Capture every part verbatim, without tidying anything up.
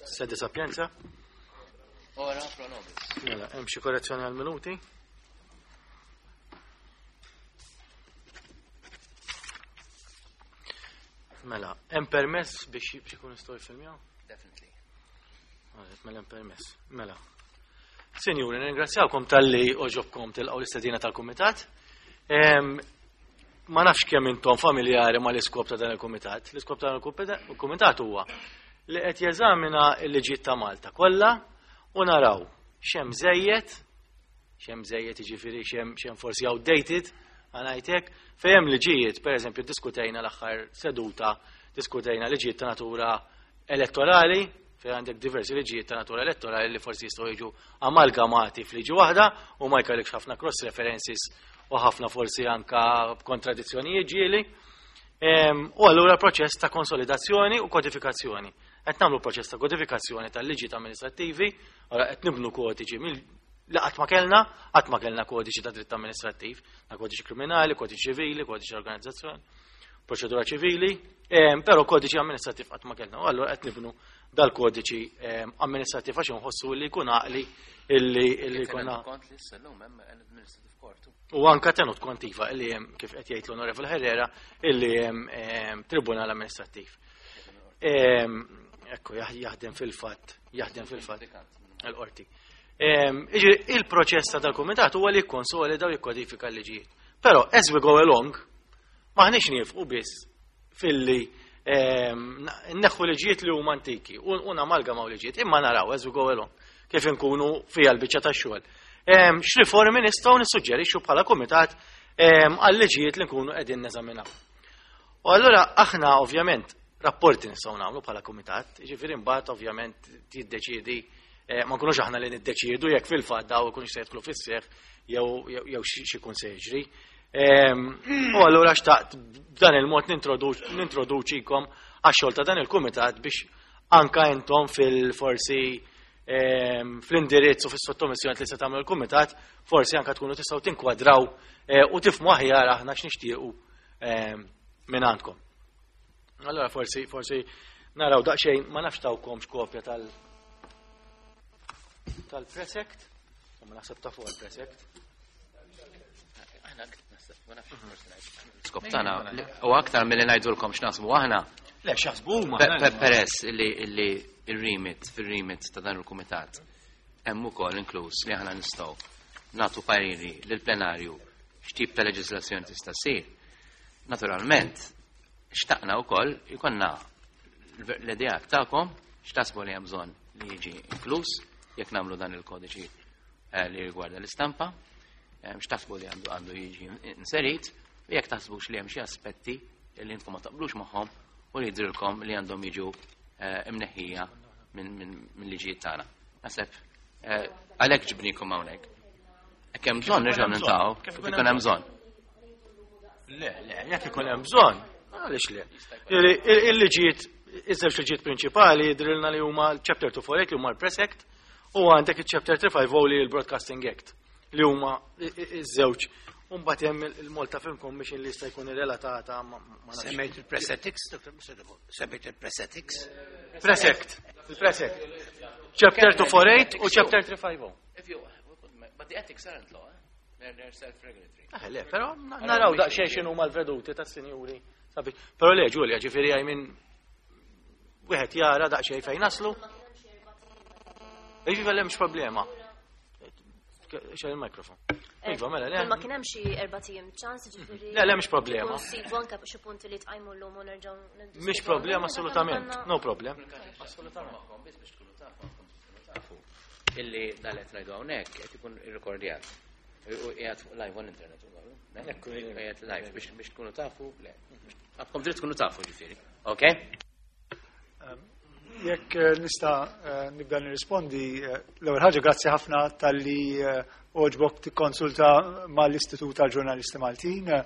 Sede Sapienza. Ora pro nobis. Mela, hemm xi korrezzjoni għal minuti? Mela, hemm permess biex biex ikun jistgħu jiffilmjaw? Definitely. Għalet, mela hemm permess. Mela. Sinjuri, nirringrazzjawkom talli oġobkom tilqgħu l-istedina tal-kumitat. Em, Ma nafx kemm intom familjari ma l-iskop ta' dan il-kumitat. L-iskop ta' dan il-kumitat huwa li qed jeżamina l-liġijiet ta' Malta kollha u naraw x'hemm żejjed, x'hemm żejjed jiġifieri x'hemm x'hemm forsi outdated, ngħidlek, fejn hemm liġijiet, pereżempju diskutejna l-aħħar seduta, diskutejna liġijiet ta' natura elettorali, fejn għandek diversi liġijiet ta' natura elettorali li forsi jistgħu jiġu amalgamati f'liġi waħda u ma jkollekx ħafna cross references u ħafna forsi anka kontradizzjonijiet ġieli. Em, U allura proċess ta' konsolidazzjoni u kodifikazzjoni. Qed nagħmlu proċess ta' kodifikazzjoni tal-liġijiet amministrattivi, ora qed nibnu kodiċi mill li qatt ma kellna, qatt ma kellna kodiċi ta' dritt amministrattiv, ta' kodiċi kriminali, kodiċi ċivili, kodiċi organizzazzjoni, proċedura ċivili, em, però kodiċi amministrattiv qatt ma kellna. U allura qed nibnu dal-kodiċi em, amministrattiv għax inħossu li jkun għaqli illi illi jkun Kont li s-sallum hemm administrative court. U anka tenut kont iva illi hemm kif qed jgħid l-Onorevole Herrera illi hemm em, tribunal amministrattiv. Em, Ekku jah- jaħdem fil-fatt, jaħdem fil-fatt il-qorti. Em, Iġi il-proċess ta' dal-kumitat huwa li jikkonsolida u jikkodifika l-liġijiet. Però as we go along, maħniex niefqu biss filli em, neħħu liġijiet li huma antiki u u namalgamaw liġijiet, imma naraw as we go along kif inkunu fija l-biċċa tax-xogħol. Em, X'riformi nistgħu nissuġġerixxu bħala kumitat em, għal liġijiet li nkunu qegħdin neżaminaw. U allura aħna ovvjament rapporti nistgħu nagħmlu bħala kumitat, jiġifieri mbagħad ovvjament tiddeċiedi eh, ma nkunux aħna li niddeċiedu jekk fil-fatt daw ikunux se jidħlu fis-seħħ jew jew jew xi xi jkun se jiġri. Em, U allura xtaqt b'dan il-mod nintroduċ- nintroduċikom għax-xogħol ta' dan il-kumitat biex anka intom fil-forsi em, fl-indirizz u fis-sottomissjoni li se tagħmlu l-kumitat, forsi anka tkunu tistgħu tinkwadraw eh, u tifhmu aħjar aħna x'nixtiequ em, minn għandkom. Allora forsi forsi naraw daqsxejn ma nafx tawkomx kopja tal tal-Press Act, u ma naħseb ta' fuq il-Press Act. Aħna naħseb, ma nafx forsi ngħid. Skop tagħna li- u aktar milli ngħidulkom x'naħsbu aħna. Le, x'jaħsbu huma. Pe- pe- Peress li li il-remit fil-remit ta' dan il-kumitat hemm ukoll inkluż li aħna nistgħu nagħtu pariri lill-plenarju x'tip ta' leġiżlazzjoni tista' ssir. Naturalment, xtaqna wkoll ikollna l-ideat tagħkom x'taħsbu li hemm bżonn li jiġi inkluż jekk nagħmlu dan il-kodiċi eh, li rigwarda l-istampa, eh, x'taħsbu li għandu għandu jiġi inserit, u jekk taħsbux li hemm xi aspetti li intkom ma taqblux magħhom u li jidrilkom li għandhom jiġu eh, imneħħija minn min, min liġijiet tagħna. Naħseb eh, għalhekk ġibnikom hawnhekk. Jekk hemm bżonn nerġgħu niltaqgħu, Kif kif ikun ikun hemm bżonn. Le, le, jekk ikun hemm bżonn, għaliex le. Il- il- Il-liġijiet, iż-żewġ liġijiet prinċipali jidrilna li huma l-Chapter two forty-eight li huma l-Press Act u għandek il-Chapter three fifty li l-Broadcasting Act li huma i- i- iż-żewġ. U mbagħad hemm il-Malta Film Commission li jista' jkun irrelatata ma ma nafx. Semmejt il-Press Ethics, Doctor Semmejt il-Press Ethics. Press Act, il-Press Act. Chapter two forty-eight u Chapter three fifty. If you, but the ethics aren't law, eh? They're, they're self-regulatory. Eh, le, però naraw daqsxejn x'inhu mal-veduti tas-sinjuri. Sabi. Però le, Giulia, ġifieri għaj minn wieħed jara daqsxejn fejn naslu. Iġifieri m'hemmx problema. Xejn il-mikrofon. Iva, mela, le. Kull ma kien hemm xi erba' ijiem ċans, ġifieri. Le, le, mhix problema. Nsibu anke xi punti li tqajmu llum u nerġgħu niddiskutu. Mhix problema assolutament. No problem. Assolutament. Biss biex tkunu tafu, għandkom tkunu tafu illi dan qed ngħidu hawnhekk qed ikun irrekordjat. U qiegħed fuq live on internet ukoll. Ekku, Qiegħed live biex biex tkunu tafu, le. Għandkom dritt tkunu tafu ġifieri. Okay? Jekk eh, nista' eh, nibda nirrispondi, eh, l-ewwel ħaġa grazzi ħafna talli eh, għoġbok tikkonsulta mal-Istitut tal-Ġurnalisti Maltin eh,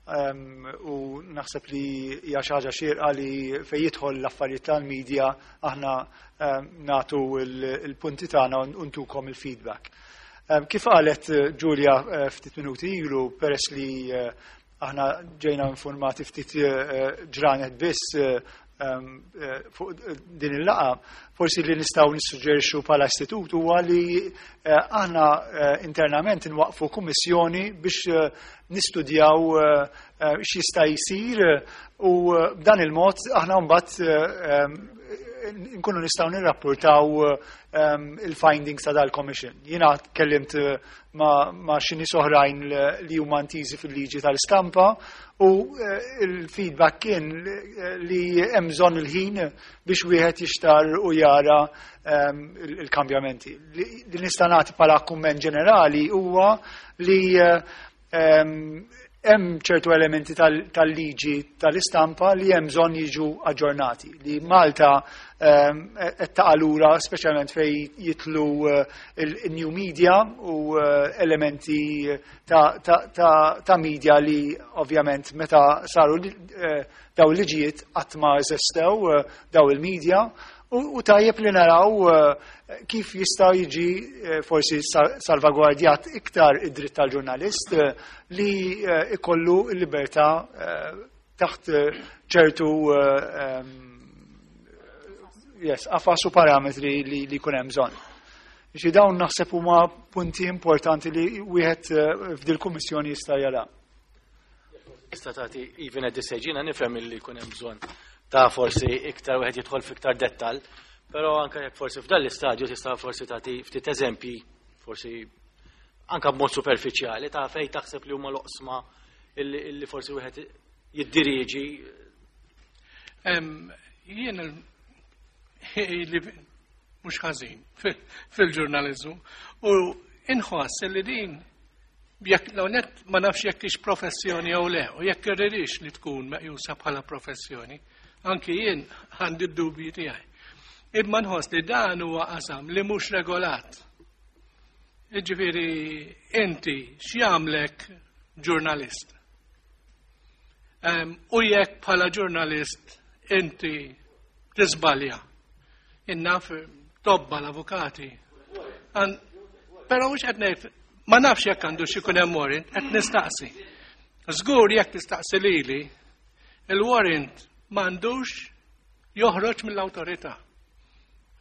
em, u naħseb li hija xi ħaġa xierqa li fejn jidħol l-affarijiet tal-medja aħna em, nagħtu il- il-punti tagħna u ntukom il-feedback. Em, Kif qalet eh, Giulia eh, ftit minuti ilu, peress li eh, aħna ġejna informati ftit eh, ġranet biss eh, fuq din il-laqgħa, forsi li nistgħu nissuġġerixxu bħala istitut huwa li aħna internament nwaqfu kummissjoni biex nistudjaw x'jista' jsir u b'dan il-mod aħna mbagħad nkunu nistgħu nirrapportaw il-findings ta' dal-commission. Jiena tkellimt ma' xi nies oħrajn li huma intiżi fil-liġi tal-istampa u il-feedback kien li hemm bżonn il-ħin biex wieħed jixtar u jara il-kambjamenti. Li nista' nagħti bħala kumment ġenerali huwa li hemm ċertu elementi tal-liġi tal-istampa li hemm bżonn jiġu aġġornati. Li Malta qed taqa' lura speċjalment fejn jidħlu il-new media u elementi ta' media li ovvjament meta saru daw il-liġijiet qatt ma eżistew daw il-media u tajjeb li naraw kif jista' jiġi forsi salvagwardjat iktar id-dritt tal-ġurnalist li ikollu l-libertà taħt ċertu yes, qafas u parametri li jkun hemm bżonn. Xi dawn naħseb huma punti importanti li wieħed f'dil kummissjoni jista' jara. Tista' tagħti even at this age, jiena nifhem li jkun hemm bżonn ta' forsi iktar wieħed jidħol f'iktar dettal, però anke jekk forsi f'dan l-istadju tista' forsi tagħti ftit eżempji, forsi anke b'mod superfiċjali ta' fejn taħseb li huma l-oqsma illi forsi wieħed jiddiriġi. Jien li mhux ħażin fil-ġurnaliżmu u inħoss li din jekk net ma nafx jekk hix professjoni jew le u jekk irridix li tkun meqjusa bħala professjoni, anki jien għandi d-dubji tiegħi. Imma nħoss li dan huwa qasam li mhux regolat. Jiġifieri inti x'jagħmlek ġurnalist? U jekk bħala ġurnalist inti tiżbalja. Innaf tobba l-avukati. Però mhux qed ngħid, ma nafx jekk għandu xi jkun hemm warrant, qed nistaqsi. Żgur jekk tistaqsi lili, il-warrant m'għandux joħroġ mill-awtorità.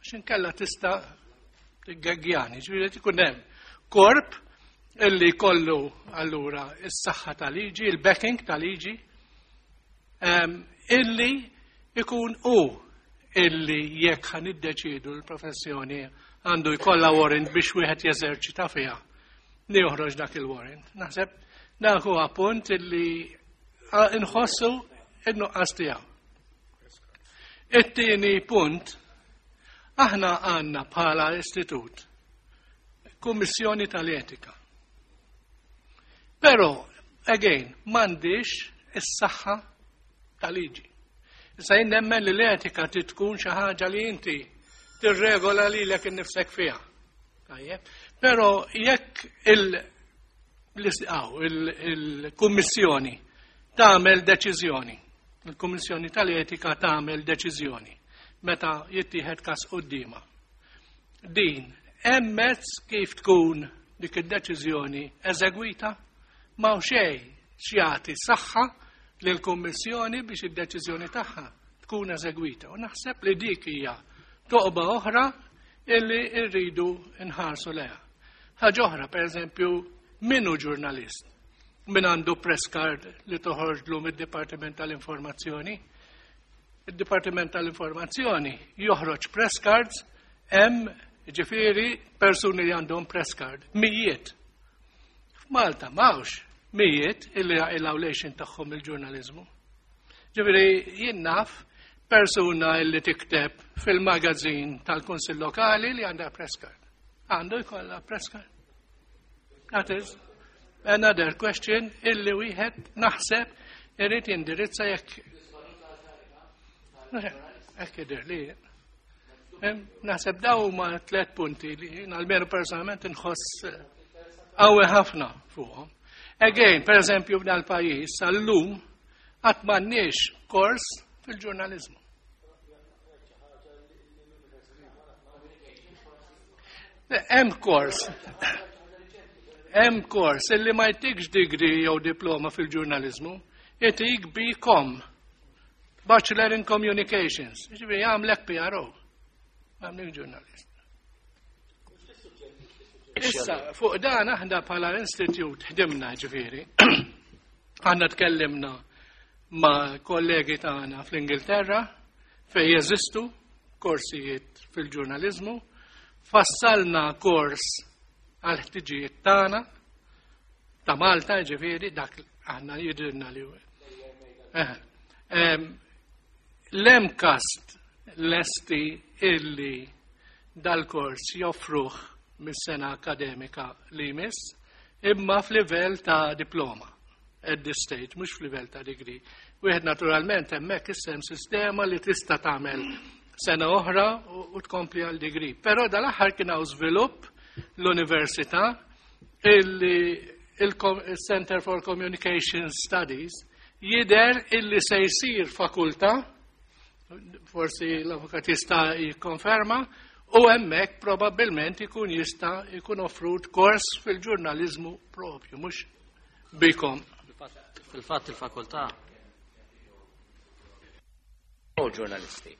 Għax inkella tista' tiggegjani, ġifieri ikun hemm korp illi kollu allura is-saħħa tal-liġi, il-backing tal-liġi, illi ikun u illi jekk ħan iddeċidu l-professjoni għandu jkollha warrant biex wieħed jeżerċita fiha. Li joħroġ dak il-warrant. Naħseb dak huwa punt illi nħossu in-nuqqas tiegħu. It-tieni punt, aħna għandna bħala istitut Kummissjoni tal-Etika. Però, again, m'għandix is-saħħa tal-liġi. Issa jien nemmen li l-etika tkun xi ħaġa li inti tirregola lilek innifsek fiha. Tajjeb. Però jekk il-kummissjoni tagħmel deċiżjoni, il-Kummissjoni tal-Etika tagħmel deċiżjoni meta jittieħed każ quddiemha. Din hemm mezz kif tkun dik id-deċiżjoni eżegwita ma xejn x'jagħti saħħa lill-Kummissjoni biex id-deċiżjoni tagħha tkun eżegwita. U naħseb li dik hija toqba oħra illi rridu nħarsu leha. Ħaġa oħra, pereżempju, min hu ġurnalist? Min għandu press card li toħorġlu mid-Dipartiment tal-Informazzjoni? Il-Dipartiment tal-Informazzjoni joħroġ press cards hemm ġifieri persuni li għandhom press card, mijiet. F'Malta m'hawnx mijiet illi jaqilgħu l-għajxien tagħhom il-ġurnaliżmu. Ġifieri jien naf persuna illi tikteb fil-magazin tal-Kunsill Lokali li għandha press card. Għandu jkollha press card. That is another question illi wieħed naħseb irid jindirizza jekk hekk jidher li naħseb daw huma tliet punti li almenu personalment inħoss qawwi ħafna fuqhom. Again, per eżempju, f'dal pajjiż sal-lum qatt m'għandniex kors fil-ġurnaliżmu. Hemm kors. Hemm kors illi ma jtikx degree jew diploma fil-ġurnaliżmu, jtik B Com. Bachelor in Communications. Ġifieri jagħmlek P R O. Jagħmlek ġurnalist. Issa, fuq dan aħna bħala institute ħdimna, ġifieri. Aħna tkellimna ma' kollegi tagħna fl-Ingilterra fejn jeżistu korsijiet fil-ġurnalizmu, fassalna kors għal ħtiġijiet tagħna ta' Malta, ġifieri, dak aħna jidhirna li Eh, em, L-M C A S T lesti illi dal-kors joffruh mis-sena akademika li jmiss, imma f'livell ta' diploma at this stage, mhux f'livell ta' degree. Wieħed naturalment hemmhekk issem sistema li tista' tagħmel sena oħra u u tkompli għal degree. Però dal-aħħar kien hawn żvilupp l-università illi il-Center for Communication Studies jidher illi se jsir fakultà, forsi l-avukat jista' jikkonferma, u hemmhekk probabbilment ikun jista' jkun offrut kors fil-ġurnaliżmu propju, mhux bikom. Fil-fatt il-fakultà U ġurnalisti.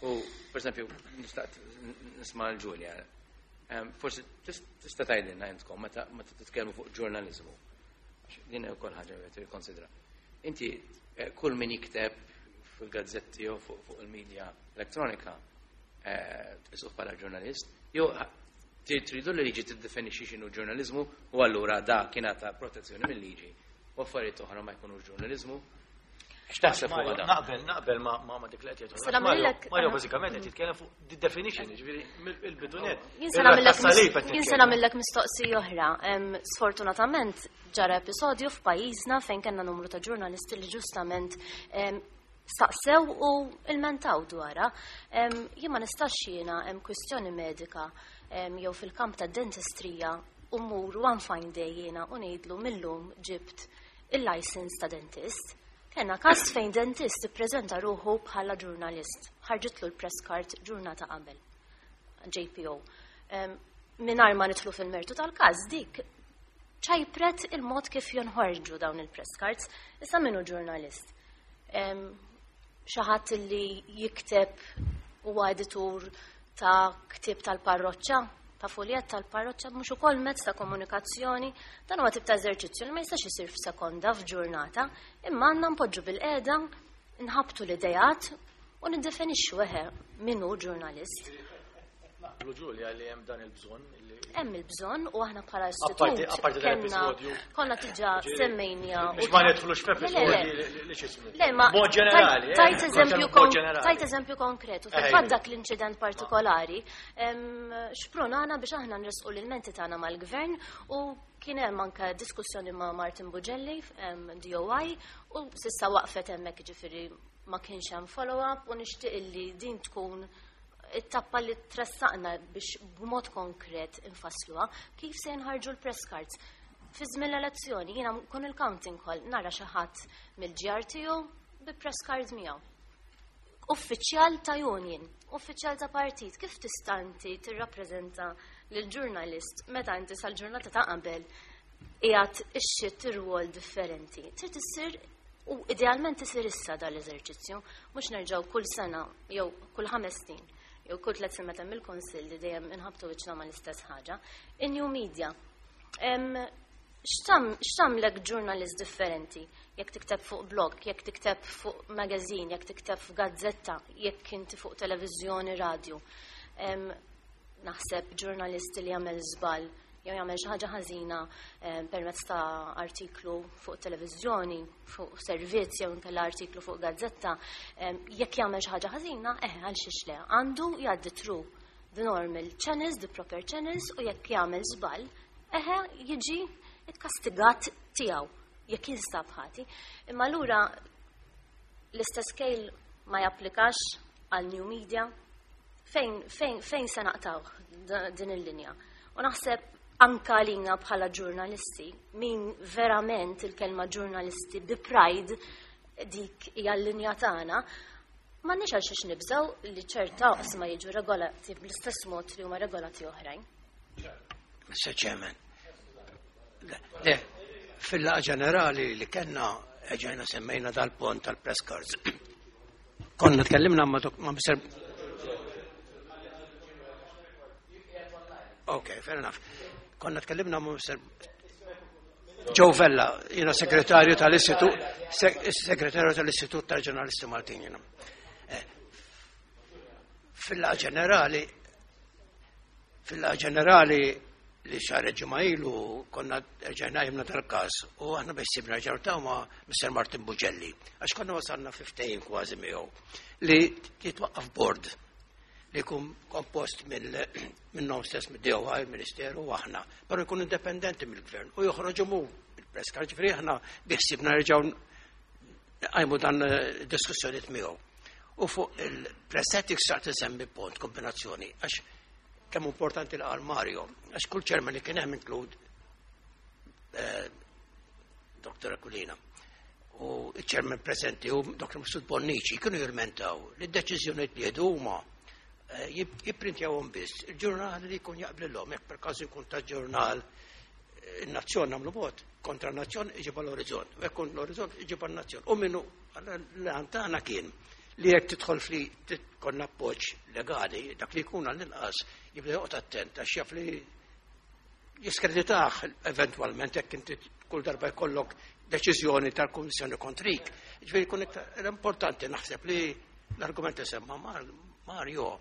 U, per esempio, nista' nisma' l-Ġulja. Em, Forsi tista' tgħidilna intkom meta meta titkellmu fuq ġurnaliżmu. Għax din hija wkoll ħaġa li tikkonsidra. Inti eh, kull min jikteb fil-gazzetti jew fuq fuq il-medja elettronika eh, tqisuh bħala ġurnalist, jew tridu li liġi tiddefinixxi x'inhu ġurnaliżmu u allura da kien ta' protezzjoni mill-liġi u affarijiet oħra ma jkunux ġurnaliżmu. X'taħseb fuq dan? Naqbel, naqbel ma ma ma dik li qed jgħid. Se nagħmellek- Mario bażikament qed jitkellem fuq the definition, ġifieri mill-bidunet. Jien se nagħmellek jien se nagħmellek mistoqsija oħra. Em, Sfortunatament ġara episodju f'pajjiżna fejn kellna numru ta' ġurnalisti li ġustament em, staqsew u ilmentaw dwarha. Em, Jien ma nistax jiena hemm kwistjoni medika em, jew fil-kamp ta' dentistrija u mur one fine day jiena u ngħidlu millum ġibt il-license ta' dentist. Kenna każ fejn dentist ippreżenta ruħu bħala ġurnalist. Ħarġitlu l-press card ġurnata qabel. J P O. Um, Mingħajr ma nidħlu fil-mertu tal-każ, dik ċajpret il-mod kif jonħorġu dawn il-press cards. Issa minnu ġurnalist? Um, Xi ħadd li jikteb, huwa editur ta' ktib tal-parroċċa, ta' foljet tal-parroċċa, mhux ukoll mezz ta' komunikazzjoni? Dan huwa tip ta' eżerċizzju li ma jistax isir f'sekonda, f'ġurnata, imma għandna npoġġu bil-qiegħda, nħabtu l-idejat u niddefinixxu eħe min hu ġurnalist. Naqblu, Ġulja, li hemm dan il-bżonn li Hemm il-bżonn u aħna bħala Apparti- istitut apparti dan kellna l-episodju. Konna diġà semmejnija. Biex ma nidħlux f'episodji Le, le, li li x'ismu. Le, ma Mod ġenerali. tajt eh, eżempju mod kon- ġenerali. tajt eżempju konkretu. Eh, Fil-fatt dak l-inċident partikolari em, xprunana biex aħna nresqu l-ilmenti tagħna mal-gvern u kien hemm anke diskussjoni ma' Martin Bugelli, em, D O I, u s'issa waqfet hemmhekk, ġifieri ma kienx hemm follow-up, u nixtieq illi din tkun it-tappa li tressaqna biex b'mod konkret infassluha kif se jinħarġu l-press cards. Fi żmien l-elezzjoni jiena kun il-counting hall nara xi ħadd mill-G R T U bi press card miegħu. Uffiċjal ta' union, uffiċjal ta' partit, kif tista' inti tirrappreżenta lil ġurnalist meta inti sal-ġurnata ta' qabel qiegħed ixxitt ir-rwol differenti? Trid issir u idealment isir issa dal-eżerċizzju, mhux nerġgħu kull sena jew kull ħames snin jew kull tliet snin meta mill-konsill li dejjem inħabtu wiċċna mal-istess ħaġa. In-new media. Em, X'tam x'tagħmlek ġurnalist differenti? Jekk tikteb fuq blog, jekk tikteb fuq magazine, jekk tikteb fuq gazzetta, jekk inti fuq televiżjoni, radio. Em, Naħseb ġurnalist li jagħmel żball jew jagħmel xi ħaġa ħażina em, permezz ta' artiklu fuq televiżjoni, fuq servizz jew inkella artiklu fuq gazzetta, em, jekk jagħmel xi ħaġa ħażina, eh għal xiex le, għandu jgħaddi through the normal channels, the proper channels, u jekk jagħmel żball, eħe jiġi ikkastigat tiegħu jekk jinstab ħati. Imma allura l-istess scale ma japplikax għal new media? Fejn, fejn, fejn se naqtaw din il-linja? U naħseb anka lina bħala ġurnalisti, min verament il-kelma ġurnalisti bi pride dik hija l-linja tagħna, ma nix għal xiex nibżaw li ċerta oqsma jiġu regolati bl-istess mod li huma regolati oħrajn. Mister Chairman. Le, le, fil-laqgħa ġenerali li kellna ġejna semmejna dal-punt tal-press cards. Konna tkellimna ma' Mister Ok, fair enough. Konna tkellimna ma' Mister Joe Vella, jiena segretarju tal-Istitut, segretarju tal-Istitut tal-Ġurnalisti Maltin jiena. Fil-laqgħa ġenerali, fil-laqgħa ġenerali li xahar ġimgħa ilu konna rġajna jimna tal-każ u aħna biex sibna ġartaw ma' Mister Martin Bugelli, għax konna wasalna fiftejn kważi miegħu li jitwaqqaf board li jkun kompost minnhom stess mid-D O I, il-Ministeru u aħna, però jkun indipendenti mill-gvern u joħroġu mu il-press card, ġifieri aħna biħsibna nerġgħu qajmu dan diskussjonijiet miegħu. U fuq il-press ethics saqt insemmi punt kombinazzjoni, għax kemm importanti l qal Mario, għax kull chairman li kien hemm inklud Doktor Aquilina u il-chairman preżenti u Doktor Mifsud Bonnici kienu jirmentaw li d-deċiżjonijiet li jieħdu huma jipprintjawhom biss il-ġurnal li jkun jaqblilhom, jekk per każu jkun ta' ġurnal in-Nazzjon nagħmlu vot kontra n-Nazzjon iġib l-Orizzont, u jekk l-Orizzont iġib n-Nazzjon. U minnu l-għan tagħna kien li jekk tidħol fli tkun appoġġ legali, dak li jkun għall-inqas jibda joqgħod attent għax jaf li jiskreditah eventwalment jekk inti kull darba jkollok deċiżjoni tal-Kummissjoni kontrik. Ġifieri jkun iktar importanti naħseb li l-argument li semma Mario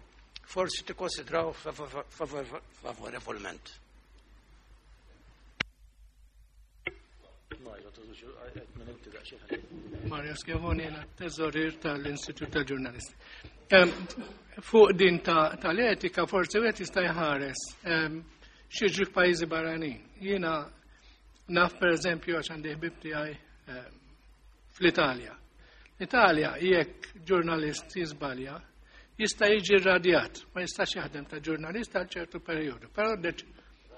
forsi tikkonsidraw favorevolment. Mario Schiavone, jena teżorier tal-Istitut tal-Ġurnalisti. Fuq din tal-etika forsi wieħed jista' jħares xi f'pajjiżi barranin. Jiena naf pereżempju għax għandi ħbieb tiegħi fl-Italja. L-Italja jekk ġurnalist jiżbalja jista' jiġi rradjat, ma jistax jaħdem ta' ġurnalist għal ċertu perjodu, però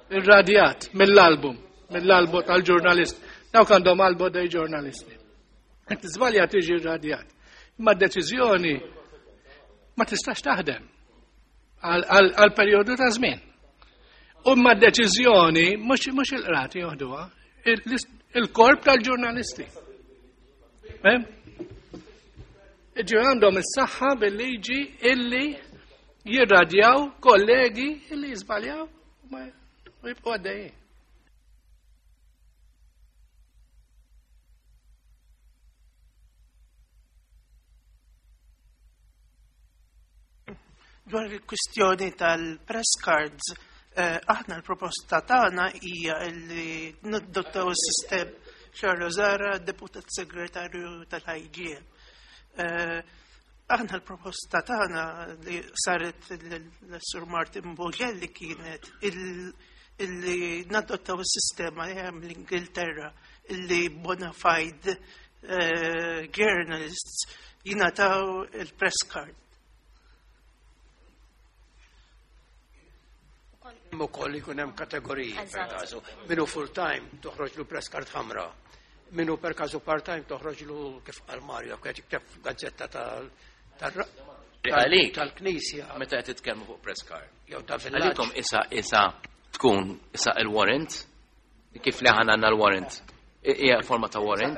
irradjat mill-album, mill-albo tal-ġurnalist. Dawk għandhom albo dei ġurnalisti. Qed tiżbalja tiġi rradjat. Imma d-deċiżjoni ma tistax taħdem għal perjodu ta' żmien. U ma d-deċiżjoni mhux il-qrati joħduha, il-korp tal-ġurnalisti. Ġi għandhom is-saħħa bil-liġi illi jirradjaw kollegi illi jiżbaljaw u jibqgħu għaddejjin. Dwar il-kwistjoni tal-press cards, aħna l-proposta tagħna hija li nadottaw is-sistem Charles Zara, deputat segretarju tal-I G M. Aħna l-proposta tagħna li saret l-Sur Martin Bugelli kienet illi nadottaw is-sistema li hemm l-Ingilterra illi bona fide journalists jingħataw il-press card. Hemm ukoll jkun hemm kategoriji per każu. Minu full time toħroġlu press card ħamra. Minu per każu part time toħroġlu kif qal Mario qed jikteb gazzetta tal-Knisja. Meta qed titkellmu fuq press card. Jew ta' villaġġ. Għalikom issa issa tkun issa il-warrant, kif li aħna għandna l-warrant. Hija forma ta' warrant.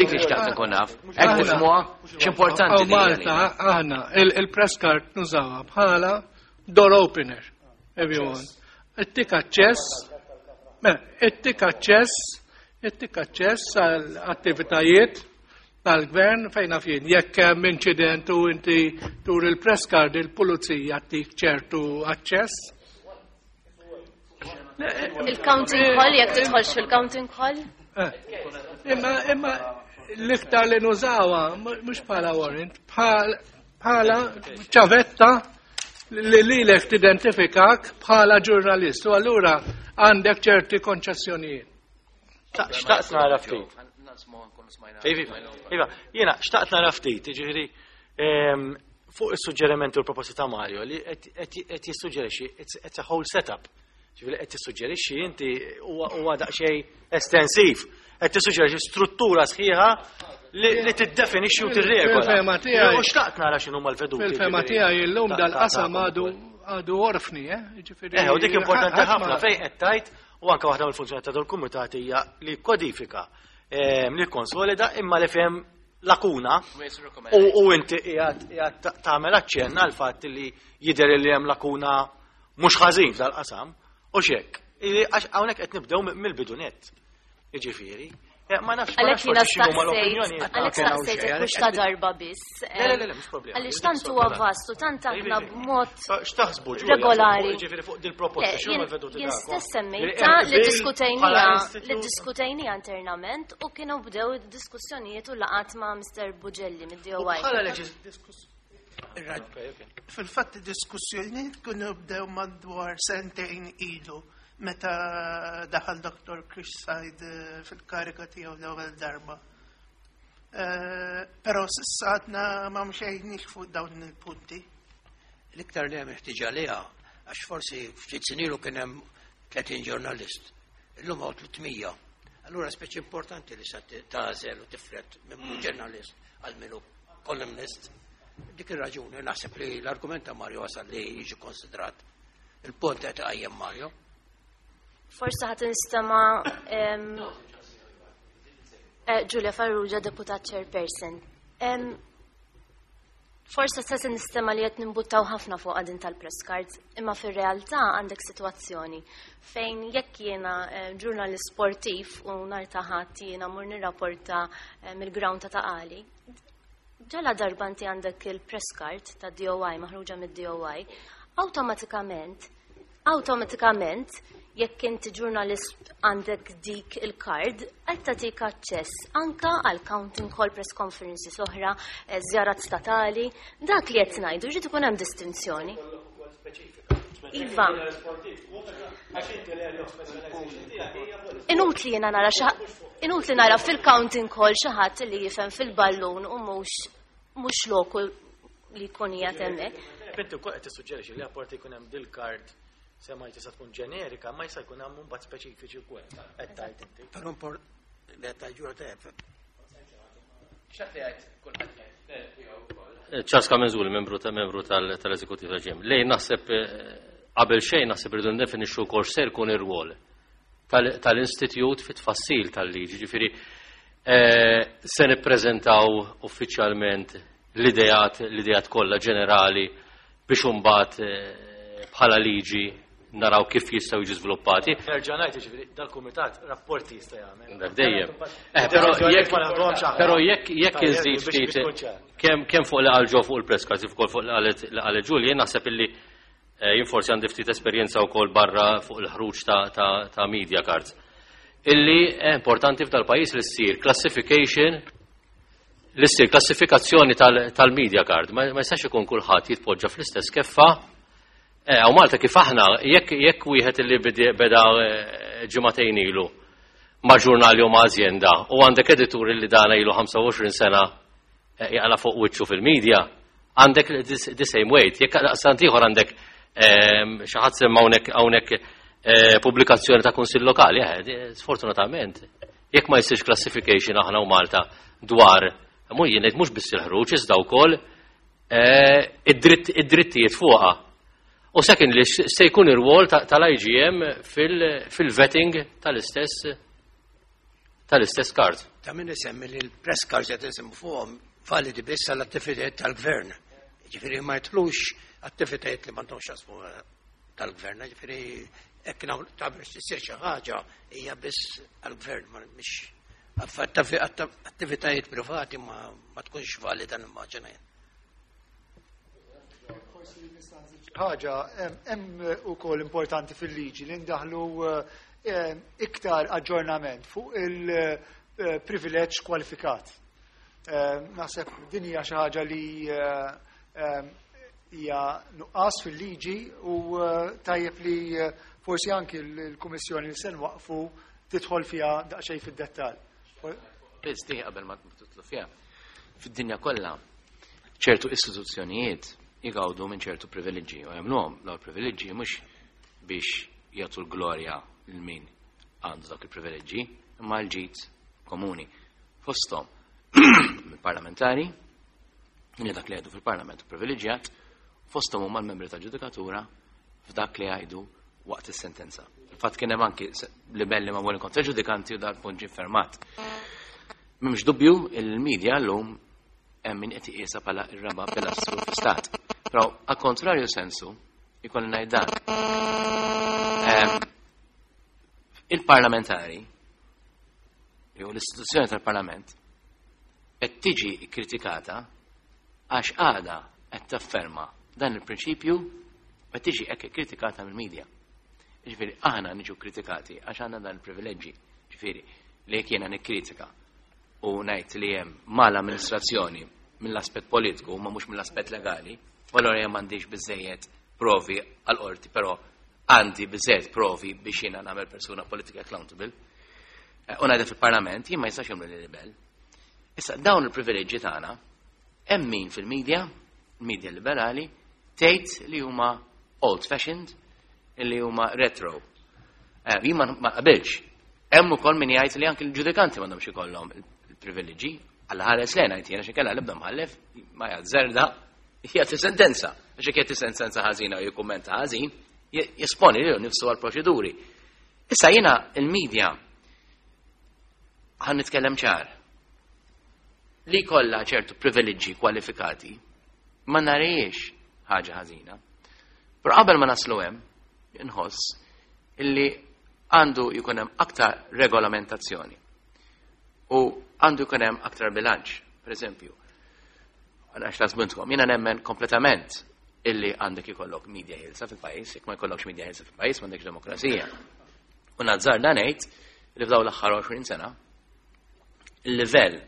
Dik li xtaqt nkun naf. Hekk tifhmuha x'importanti din. Malta aħna il-press card nużawha bħala door opener. Everyone. Ittik aċċess, ittik aċċess, ittik aċċess għal attivitajiet tal-gvern fejn naf jien. Jekk hemm inċident u inti tur il-press card il-pulizija ttik ċertu aċċess. Il-counting hall, jekk tidħolx fil-counting hall? Imma, imma l-iktar li nużawha mhux bħala warrant, bħala ċavetta li lilek tidentifikak bħala ġurnalist u allura għandek ċerti konċessjonijiet. Xtaqt nara ftit. Iva, iva, jiena xtaqt nara ftit, jiġifieri fuq is-suġġerimenti u l-proposti ta' Mario li qed jissuġġerixxi it's a whole setup. Ġifieri qed tissuġġerixxi inti huwa daqsxejn estensiv, qed tissuġġerixxi struttura sħiħa li tiddefinixxi u tirregola. Fil-fema tiegħi. U xtaqt nara x'inhuma l-veduti. Fil-fema tiegħi llum dal-qasam għadu għadu orfni, eh? Ġifieri Eh, u dik importanti ħafna fejn qed tgħid u anke waħda mill-funzjoni ta' dal-kumitat hija li kodifika, li konsolida imma li fehem lakuna u inti qiegħed tagħmel aċċenn għal fatt li jidher li hemm lakuna mhux ħażin f'dal-qasam u x'hekk. Għax hawnhekk qed nibdew mill-bidu nett. Jiġifieri. Ma nafx ma nafx x'inhuma l-opinjoni. Għalhekk staqsejtek mhux ta' darba biss. Le, le, le, mhux problema. Għaliex tant huwa vastu, tant aħna b'mod X'taħsbu regolari. Ġifieri fuq dil-proposta x'huma l-veduti Jien stess semmejta li diskutejnija li diskutejnija internament u kienu bdew diskussjonijiet u laqat ma' Mister Bugelli mid-D O I. Bħala Fil-fatt diskussjonijiet kienu bdew madwar sentejn ilu meta daħal Doktor Chris Said fil-karika tiegħu l-ewwel darba. Però s'issa għadna ma mxejniex fuq dawn il-punti. L-iktar li hemm ħtiġa għaliha, għax forsi ftit snin ilu kien hemm tletin ġurnalist, illum hawn tliet mija. Allura speċi importanti li sa tagħżel u tifred minn ġurnalist għal minnu columnist. Dik ir-raġuni naħseb li l-argument ta' Mario wasal li jiġi konsidrat. Il-punt qed iqajjem Mario. Forsi ħadd nistema' Giulia Farrugia, deputat chairperson. Forse se nistema' li qed nimbuttaw ħafna fuq din tal-press cards, imma fir-realtà għandek sitwazzjoni fejn jekk jiena ġurnalist sportiv u nhar ta' Ħadd jiena mur nirrapporta mill-ground ta' Ta' Qali, ġala darba inti għandek il-press card ta' D O I maħruġa mid-D O I, awtomatikament, awtomatikament, jekk inti ġurnalist għandek dik il-card, qed tagħtik aċċess anka għal counting hall, press conferences oħra, żjarat statali, dak li qed ngħidu jrid ikun hemm distinzjoni. Iva. Inutli jiena nara inutli nara fil-counting hall xi ħadd li jifhem fil-ballun u mhux mhux loku li jkun qiegħed hemmhekk. Inti wkoll qed tissuġġerixxi li apparti jkun hemm dil-card sema tista' tkun ġenerika, ma jista' jkun hemm mbagħad speċifiċi wkoll. Qed tgħid inti. Però import li qed tgħid tajjeb. Charles Camenzuli, membru ta' membru tal-eżekutiv tal-G M. Lej naħseb qabel xejn naħseb irridu ndefinixxu wkoll se jkun ir-rwol tal-istitut fit-tfassil tal-liġi. Ġifieri se nippreżentaw uffiċjalment l-idejat l-idejat kollha ġenerali biex imbagħad bħala liġi naraw kif jistgħu jiġu żviluppati. Nerġa' ngħid, jiġifieri dal-kumitat rapporti jista' jagħmel. Dak dejjem. Eh, però jekk però jekk jekk inżid ftit kemm kemm fuq li qal ġo fuq il-press cards, kif ukoll fuq li qalet li qalet Julie, jien naħseb illi jien forsi għandi ftit esperjenza wkoll barra fuq il-ħruġ ta' ta' ta' media cards. Illi è importanti f'dal-pajjiż li ssir classification li ssir klassifikazzjoni tal-media card. Ma jistax ikun kulħadd jitpoġġa fl-istess keffa. Hawn Malta kif aħna, jekk jekk wieħed li beda ġimagħtejn ilu ma' ġurnali u ma' azienda u għandek editur li dana ilu ħamsa u għoxrin sena jaqla fuq wiċċu fil-medja, għandek the same weight. Jekk daqstant ieħor għandek xi ħadd semma hawnhekk hawnhekk pubblikazzjoni ta' kunsill lokali, sfortunatament, jekk ma jsirx classification aħna u Malta dwar, mhu jien ngħid mhux biss il-ħruġ iżda wkoll id-drittijiet fuqha. U second li se jkun ir-rwol tal-I G M fil-vetting tal-istess tal-istess card. Ta' min isemmi li l-press cards qed insemmu fuqhom validi biss għall-attivitajiet tal-gvern. Ġifieri ma jidħlux attivitajiet li m'għandhomx x'jaqsmu tal-gvern, ġifieri hekk ta' biex tisir xi ħaġa hija biss għall-gvern, ma mhix attivitajiet privati ma tkunx valida nimmaġina jien. Ħaġa, hemm ukoll importanti fil-liġi li ndaħlu iktar aġġornament fuq il-privileġġ kwalifikat. Naħseb din hija xi ħaġa li hija nuqqas fil-liġi u tajjeb li forsi anki l-Kummissjoni li se nwaqfu tidħol fiha daqsxejn fid-dettall. Biss di qabel ma tidħlu fiha. Fid-dinja kollha ċertu istituzzjonijiet jgawdu minn ċertu privileġġi u jagħmluhom dawn il-privileġġi mhux biex jagħtu l-glorja lil min għandu dak il-privileġġi, imma l-ġid komuni. Fosthom il-parlamentari, li dak li jgħidu fil-parlament privileġġjat, fosthom huma l-membri tal-ġudikatura f'dak li jgħidu waqt is-sentenza. Il-fatt kien hemm anki libelli ma' kontra ġudikanti u dal-punt ġie fermat. M'hemmx dubju il-media llum hemm min qed iqisha bħala r-raba' pilastru fl-istat. Però a contrario sensu, ikolli ngħid dan. Ehm, il-parlamentari jew l-istituzzjoni tal-Parlament qed tiġi kritikata għax għada qed tafferma dan il-prinċipju, qed tiġi hekk kritikata mill-medja. Ġifieri aħna niġu kritikati għax għandna dan il-privileġġi. Ġifieri li jekk jiena nikkritika u ngħid li hemm mal-amministrazzjoni mill-aspett politiku ma mhux mill-aspett legali, u allura jien m'għandix biżejjed provi għal-qorti, però għandi biżejjed provi biex jiena nagħmel persuna politically accountable. Eh, U ngħidha fil-Parlament, jien ma jistax jagħmlu li libel. Issa dawn il-privileġġi tagħna hemm min fil-medja, il-medja liberali, tgħid li huma old fashioned, li huma retro. Eh, Jien ma ma qabilx. Hemm ukoll min jgħid li anke l-ġudikanti m'għandhomx ikollhom il-privileġġi. Alla ħares lejna ngħid jiena xi kellha l-ebda mħallef ma jazzerda jagħti sentenza. Għax jekk jagħti sentenza ħażina u jikkummenta ħażin, jesponi lilu nifsu għal proċeduri. Issa jiena il-medja ħa nitkellem ċar. Li kollha ċertu privileġġi kwalifikati ma narahiex ħaġa ħażina. Però qabel ma naslu hemm, inħoss illi għandu jkun hemm aktar regolamentazzjoni u għandu jkun hemm aktar bilanċ. Per eżempju, għax tasbintkom, jiena nemmen kompletament illi għandek ikollok media ħielsa fil-pajjiż, jekk ma jkollokx media ħielsa fil-pajjiż m'għandekx demokrazija. U nazzarda ngħid li f'dawn l-aħħar għoxrin sena il-livell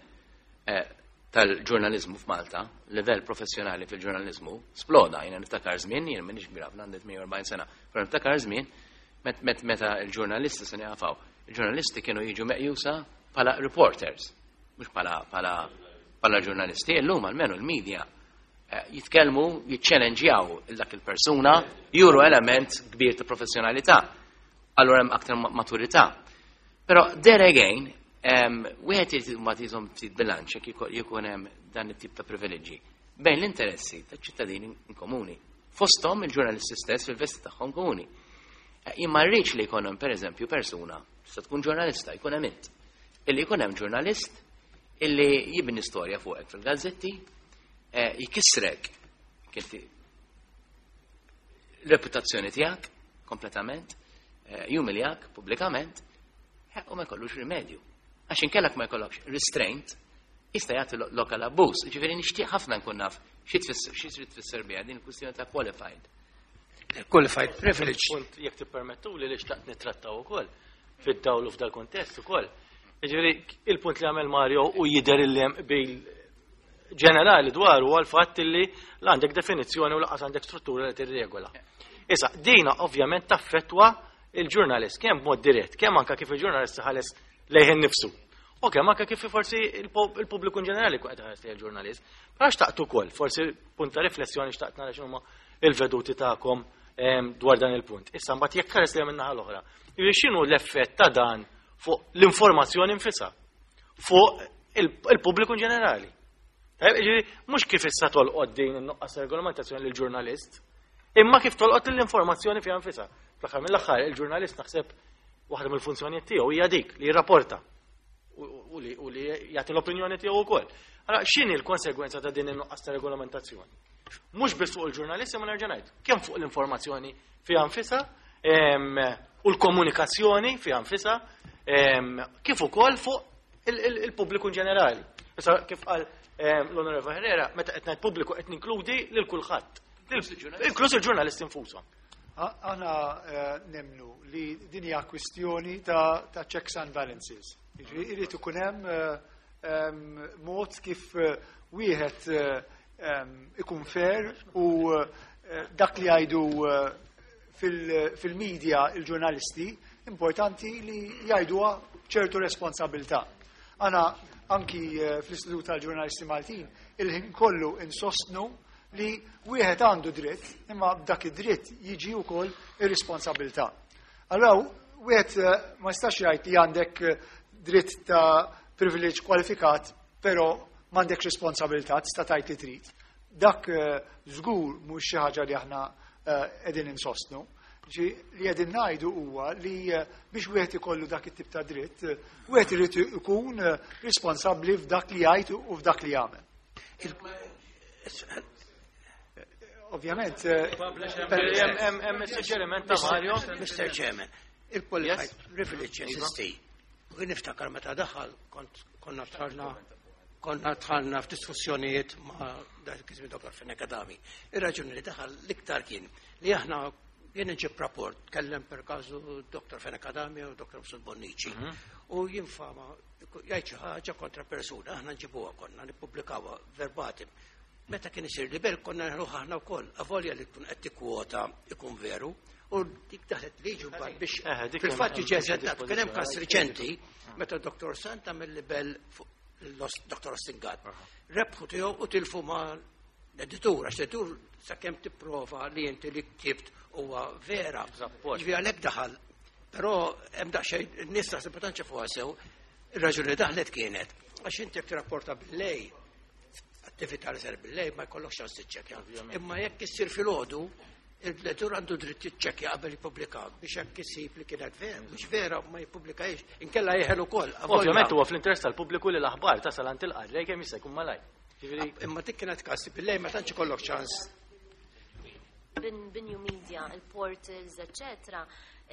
eh, tal-ġurnalizmu f'Malta, livell professjonali fil-ġurnalizmu, sploda. Jiena niftakar żmien, jiena m'iniex kbir ħafna, għandi tmienja u erbgħin sena, però niftakar żmien met, met, meta il-ġurnalisti se jaqfaw. Il-ġurnalisti kienu jiġu meqjusa bħala reporters, mhux bħala bħala bħala ġurnalisti. Illum almenu l-media eh, jitkellmu, jiċċellenġjaw dak il-persuna, juru element kbir ta' professjonalità. Allura hemm aktar maturità. Però there again, wieħed irid ma tizhom ftit bilanċ jekk jkun hemm dan it-tip ta' privileġġi bejn l-interessi taċ-ċittadini in komuni. Fosthom il-ġurnalisti stess fil-vesti tagħhom komuni. Eh, jien ma rridx li jkun hemm, pereżempju, persuna, tista' tkun ġurnalista, jkun hemm int. Illi jkun hemm ġurnalist illi jibni storja fuqek fil-gazzetti, eh, jkissrek kinti reputazzjoni tiegħek kompletament, eh, jumiljak pubblikament, u ma jkollux rimedju. Għax inkellak ma jkollokx restraint, jista' jagħti lok għal abbuż. Ġifieri nixtieq ħafna nkun naf xi tfisser xi trid tfisser biha din il-kwistjoni ta' qualified. Qualified privilege. Punt, jekk tippermettu li li xtaqt nittrattaw ukoll fid-dawl u f'dal kontest ukoll. Ġifieri il-punt li għamel Mario u jidher illi hemm bil ġenerali dwar huwa l-fatt li la għandek definizzjoni u lanqas għandek struttura li tirregola. Issa, dina ovvjament taffettwa il-ġurnalist kemm b'mod dirett, kemm anka kif il-ġurnalist ħares lejh innifsu. U kemm anka kif forsi il-pubbliku in ġenerali qed ħares lejn il-ġurnalist. Però xtaqt ukoll, forsi punt ta' riflessjoni, xtaqt nara x'inhuma il-veduti tagħkom dwar dan il-punt. Issa mbagħad jekk ħares lejn min-naħa l-oħra, x'inhu l-effett ta' dan fuq l-informazzjoni nfisha, fuq il-pubbliku in ġenerali? Mhux kif issa tolqot din in-nuqqas regolamentazzjoni lill-ġurnalist, imma kif tolqot l-informazzjoni fiha nfisha. Fl-aħħar mill-aħħar il-ġurnalist naħseb waħda mill-funzjonijiet tiegħu hija dik li jirrapporta u li u li jagħti l-opinjoni tiegħu wkoll. Allora x'inhi l-konsegwenza ta' din in-nuqqas ta' regolamentazzjoni? Mhux biss fuq il-ġurnalist, ma nerġa' ngħid, kemm fuq l-informazzjoni fiha nfisha u l-komunikazzjoni fiha nfisha, kif ukoll fuq il-pubbliku in ġenerali. Issa, kif qal l-Onorevole Herrera, meta qed ngħid pubbliku qed ninkludi lil kulħadd. Inkluż il-ġurnalisti infushom. Aħna eh, nemnu li din hija kwistjoni ta' checks and balances. Irid ikun hemm eh, mod kif eh, wieħed ikun fair u dak li jgħidu fil-medja il-ġurnalisti importanti li jgħiduha ċertu responsabilità. Aħna anki fl-Istitut tal-Ġurnalisti Maltin il-ħin kollu insostnu li wieħed għandu dritt, imma b'dak id-dritt jiġi wkoll ir-responsabilità. Allora wieħed eh, ma jistax jgħid li għandek eh, dritt ta' privileġġ kwalifikat, però m'għandekx responsabilità, tista' tgħid li trid. Dak eh, żgur mhux xi ħaġa li aħna qegħdin insostnu. Ġi li qegħdin ngħidu huwa li biex wieħed ikollu dak it-tip ta' dritt, wieħed irid ikun responsabbli f'dak li jgħid u f'dak li jagħmel. Ovvjament. Hemm suġġeriment ta' Mario. Mister Chairman, il-qualified privilege jeżisti. U niftakar meta daħal kont konna tħallna konna tħallna f'diskussjonijiet ma' dak iż-żmien Doktor Fenech Adami. Ir-raġuni li daħal l-iktar kien li aħna jien nġib rapport, kellem per każu Doktor Fenech Adami u Doktor Mifsud Bonnici. U jinfama jgħid xi ħaġa kontra persuna, aħna nġibuha konna nippubblikawha verbatim. Meta kien isir libel konna nħruħ aħna wkoll, avolja li tkun qed tikkwota ikun veru, u dik daħlet liġi mbagħad biex fil-fatt jiġi eżentat. Kien hemm każ riċenti meta Doktor Sant għamel libel fuq Doktor Austin Gatt. Rebħu tiegħu u tilfu ma' l-editur, għax l-editur sakemm tipprova li inti li ktibt huwa vera. Ġifieri għalhekk daħal. Però hemm daqsxejn in-nies taħseb ma tantx fuqha sew, ir-raġuni daħlet kienet għax inti jekk tirrapporta bil-lej, attività li sar bil-lej ma jkollokx ċans tiċċekkja. Imma jekk issir filgħodu, il-editur għandu dritt jiċċekkja qabel jippubblika biex hekk isib li kienet vera, mhux vera ma jippubblikajx, inkella jeħel ukoll. Ovvjament huwa fl-interess tal-pubbliku li l-aħbar tasal għand il-qarrej kemm jista' jkun malajr. Ġifieri Imma dik kienet każ bil-lej ma tantx ikollok ċans. Bin new media, il-portals, eccetera,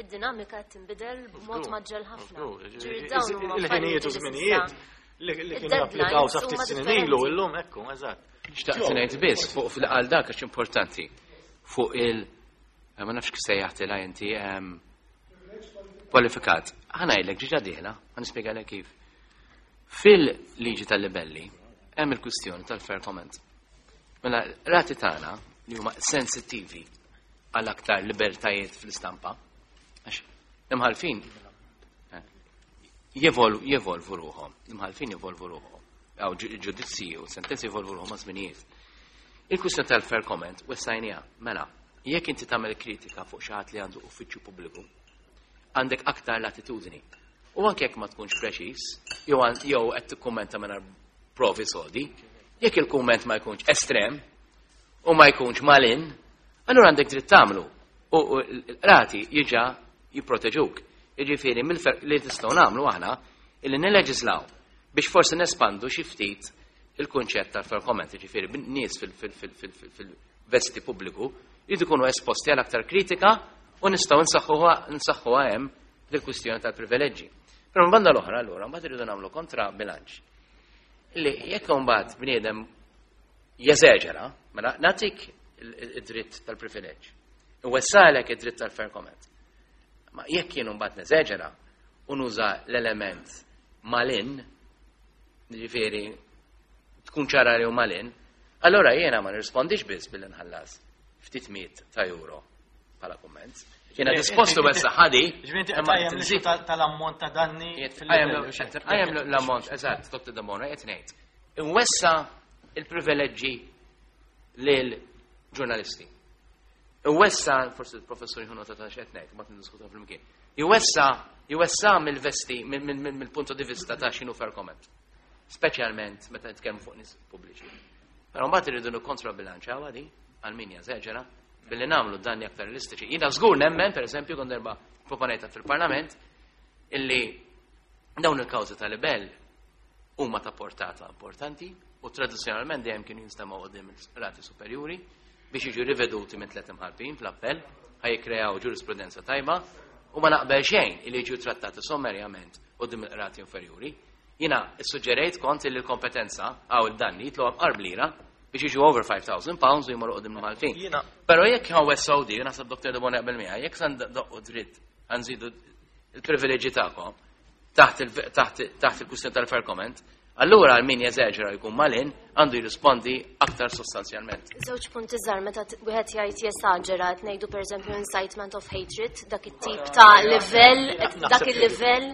id-dinamika tinbidel b'mod maġġel ħafna. Il-ħinijiet u żminijiet li kienu applikaw sa ftit snin ilu illum ekku, eżatt. Xtaqt ngħid biss fuq fil-qal dak għax importanti. Fuq il ma nafx kif sejjaħtilha inti kwalifikat. Ħa ngħidlek ġiġa dieħla, ħa nispjegalek kif. Fil-liġi tal-libelli hemm il-kwistjoni tal-fair comment. Mela rati tagħna li huma sensittivi għal aktar libertajiet fl-istampa, għax l-imħalfin jevolvu ruħhom, l-imħalfin jevolvu ruħhom, għaw ġudizzji u sentenzi jevolvu ruħhom ma' żminijiet. Il-kwistjoni tal-fair comment wessajnija, mela, jekk inti tagħmel kritika fuq xi ħadd li għandu uffiċċju pubbliku, għandek aktar latitudni. U anke jekk ma tkunx preċiż, jew jew qed tikkummenta mingħajr provi sodi, jekk il-kumment ma jkunx estrem u ma jkunx malin, allura għandek dritt tagħmlu. U l-qrati jiġa jipproteġuk. Jiġifieri li tistgħu nagħmlu aħna illi nilleġislaw biex forsi nespandu xi ftit il-kunċett tal-fair comment, jiġifieri nies fil-vesti pubbliku jridu jkunu esposti għal aktar kritika u nistgħu nsaħħuha hemm dil-kwistjoni tal-privileġġi. Però mbanda l-oħra allura mbagħad irridu nagħmlu kontra bilanċ. Li jekk mbagħad bniedem jeżeġera, mela nagħtik id-dritt tal-privileġġ. Iwessalek id-dritt tal-fair comment. Ma jekk jien mbagħad neżeġera u nuża l-element malin, jiġifieri tkun ċara li hu malin, allora jiena ma nirrispondix biss billi nħallas ftit miet ta' euro bħala kumment. Jiena dispostu wessa ħadi. Ġifieri tal-ammont ta' danni. Għajem l-ammont, eżatt, Doktor Debono, qed ngħid. Inwessa il-privileġġi lil ġurnalisti. Iwessa, forsi il-professur jħu nota ta' x'qed ngħid, ma tindiskutu flimkien. Iwessa, iwessa mill-vesti, mill-punto di vista ta' x'inhu fair comment. Speċjalment meta nitkellmu fuq nies pubbliċi. Però mbagħad irridu nikkontrabilanċaw għadi għal min jeżeġera billi nagħmlu danni aktar realistiċi. Jiena żgur nemmen, pereżempju, kont darba proponejta fil-Parlament, illi dawn il-kawżi tal-libell huma ta' portata importanti u tradizzjonalment dejjem kienu jinstemgħu quddiem il-rati superjuri biex jiġu riveduti minn tliet imħalfin fl-appell, ħaj jikkreaw ġurisprudenza tajba u ma naqbel xejn illi jiġu trattati sommerjament quddiem il-qrati inferjuri. Jiena issuġġerejt kont li l-kompetenza għaw il-danni jitlu għab lira biex jiġu over five thousand pounds u jmorru quddiem l-imħalfin. Però jekk hawn wessaw di, naħseb Doktor Debono jaqbel miegħi, jekk san doqqu dritt għanżidu il-privileġġi tagħkom taħt il-kwistjoni tal-fair comment, allura għal min jeżeġera jkun malin għandu jirrispondi aktar sostanzjalment. Żewġ punti żgħar meta wieħed jgħid jesaġera qed ngħidu pereżempju incitement of hatred, dak it-tip ta' livell, dak il-livell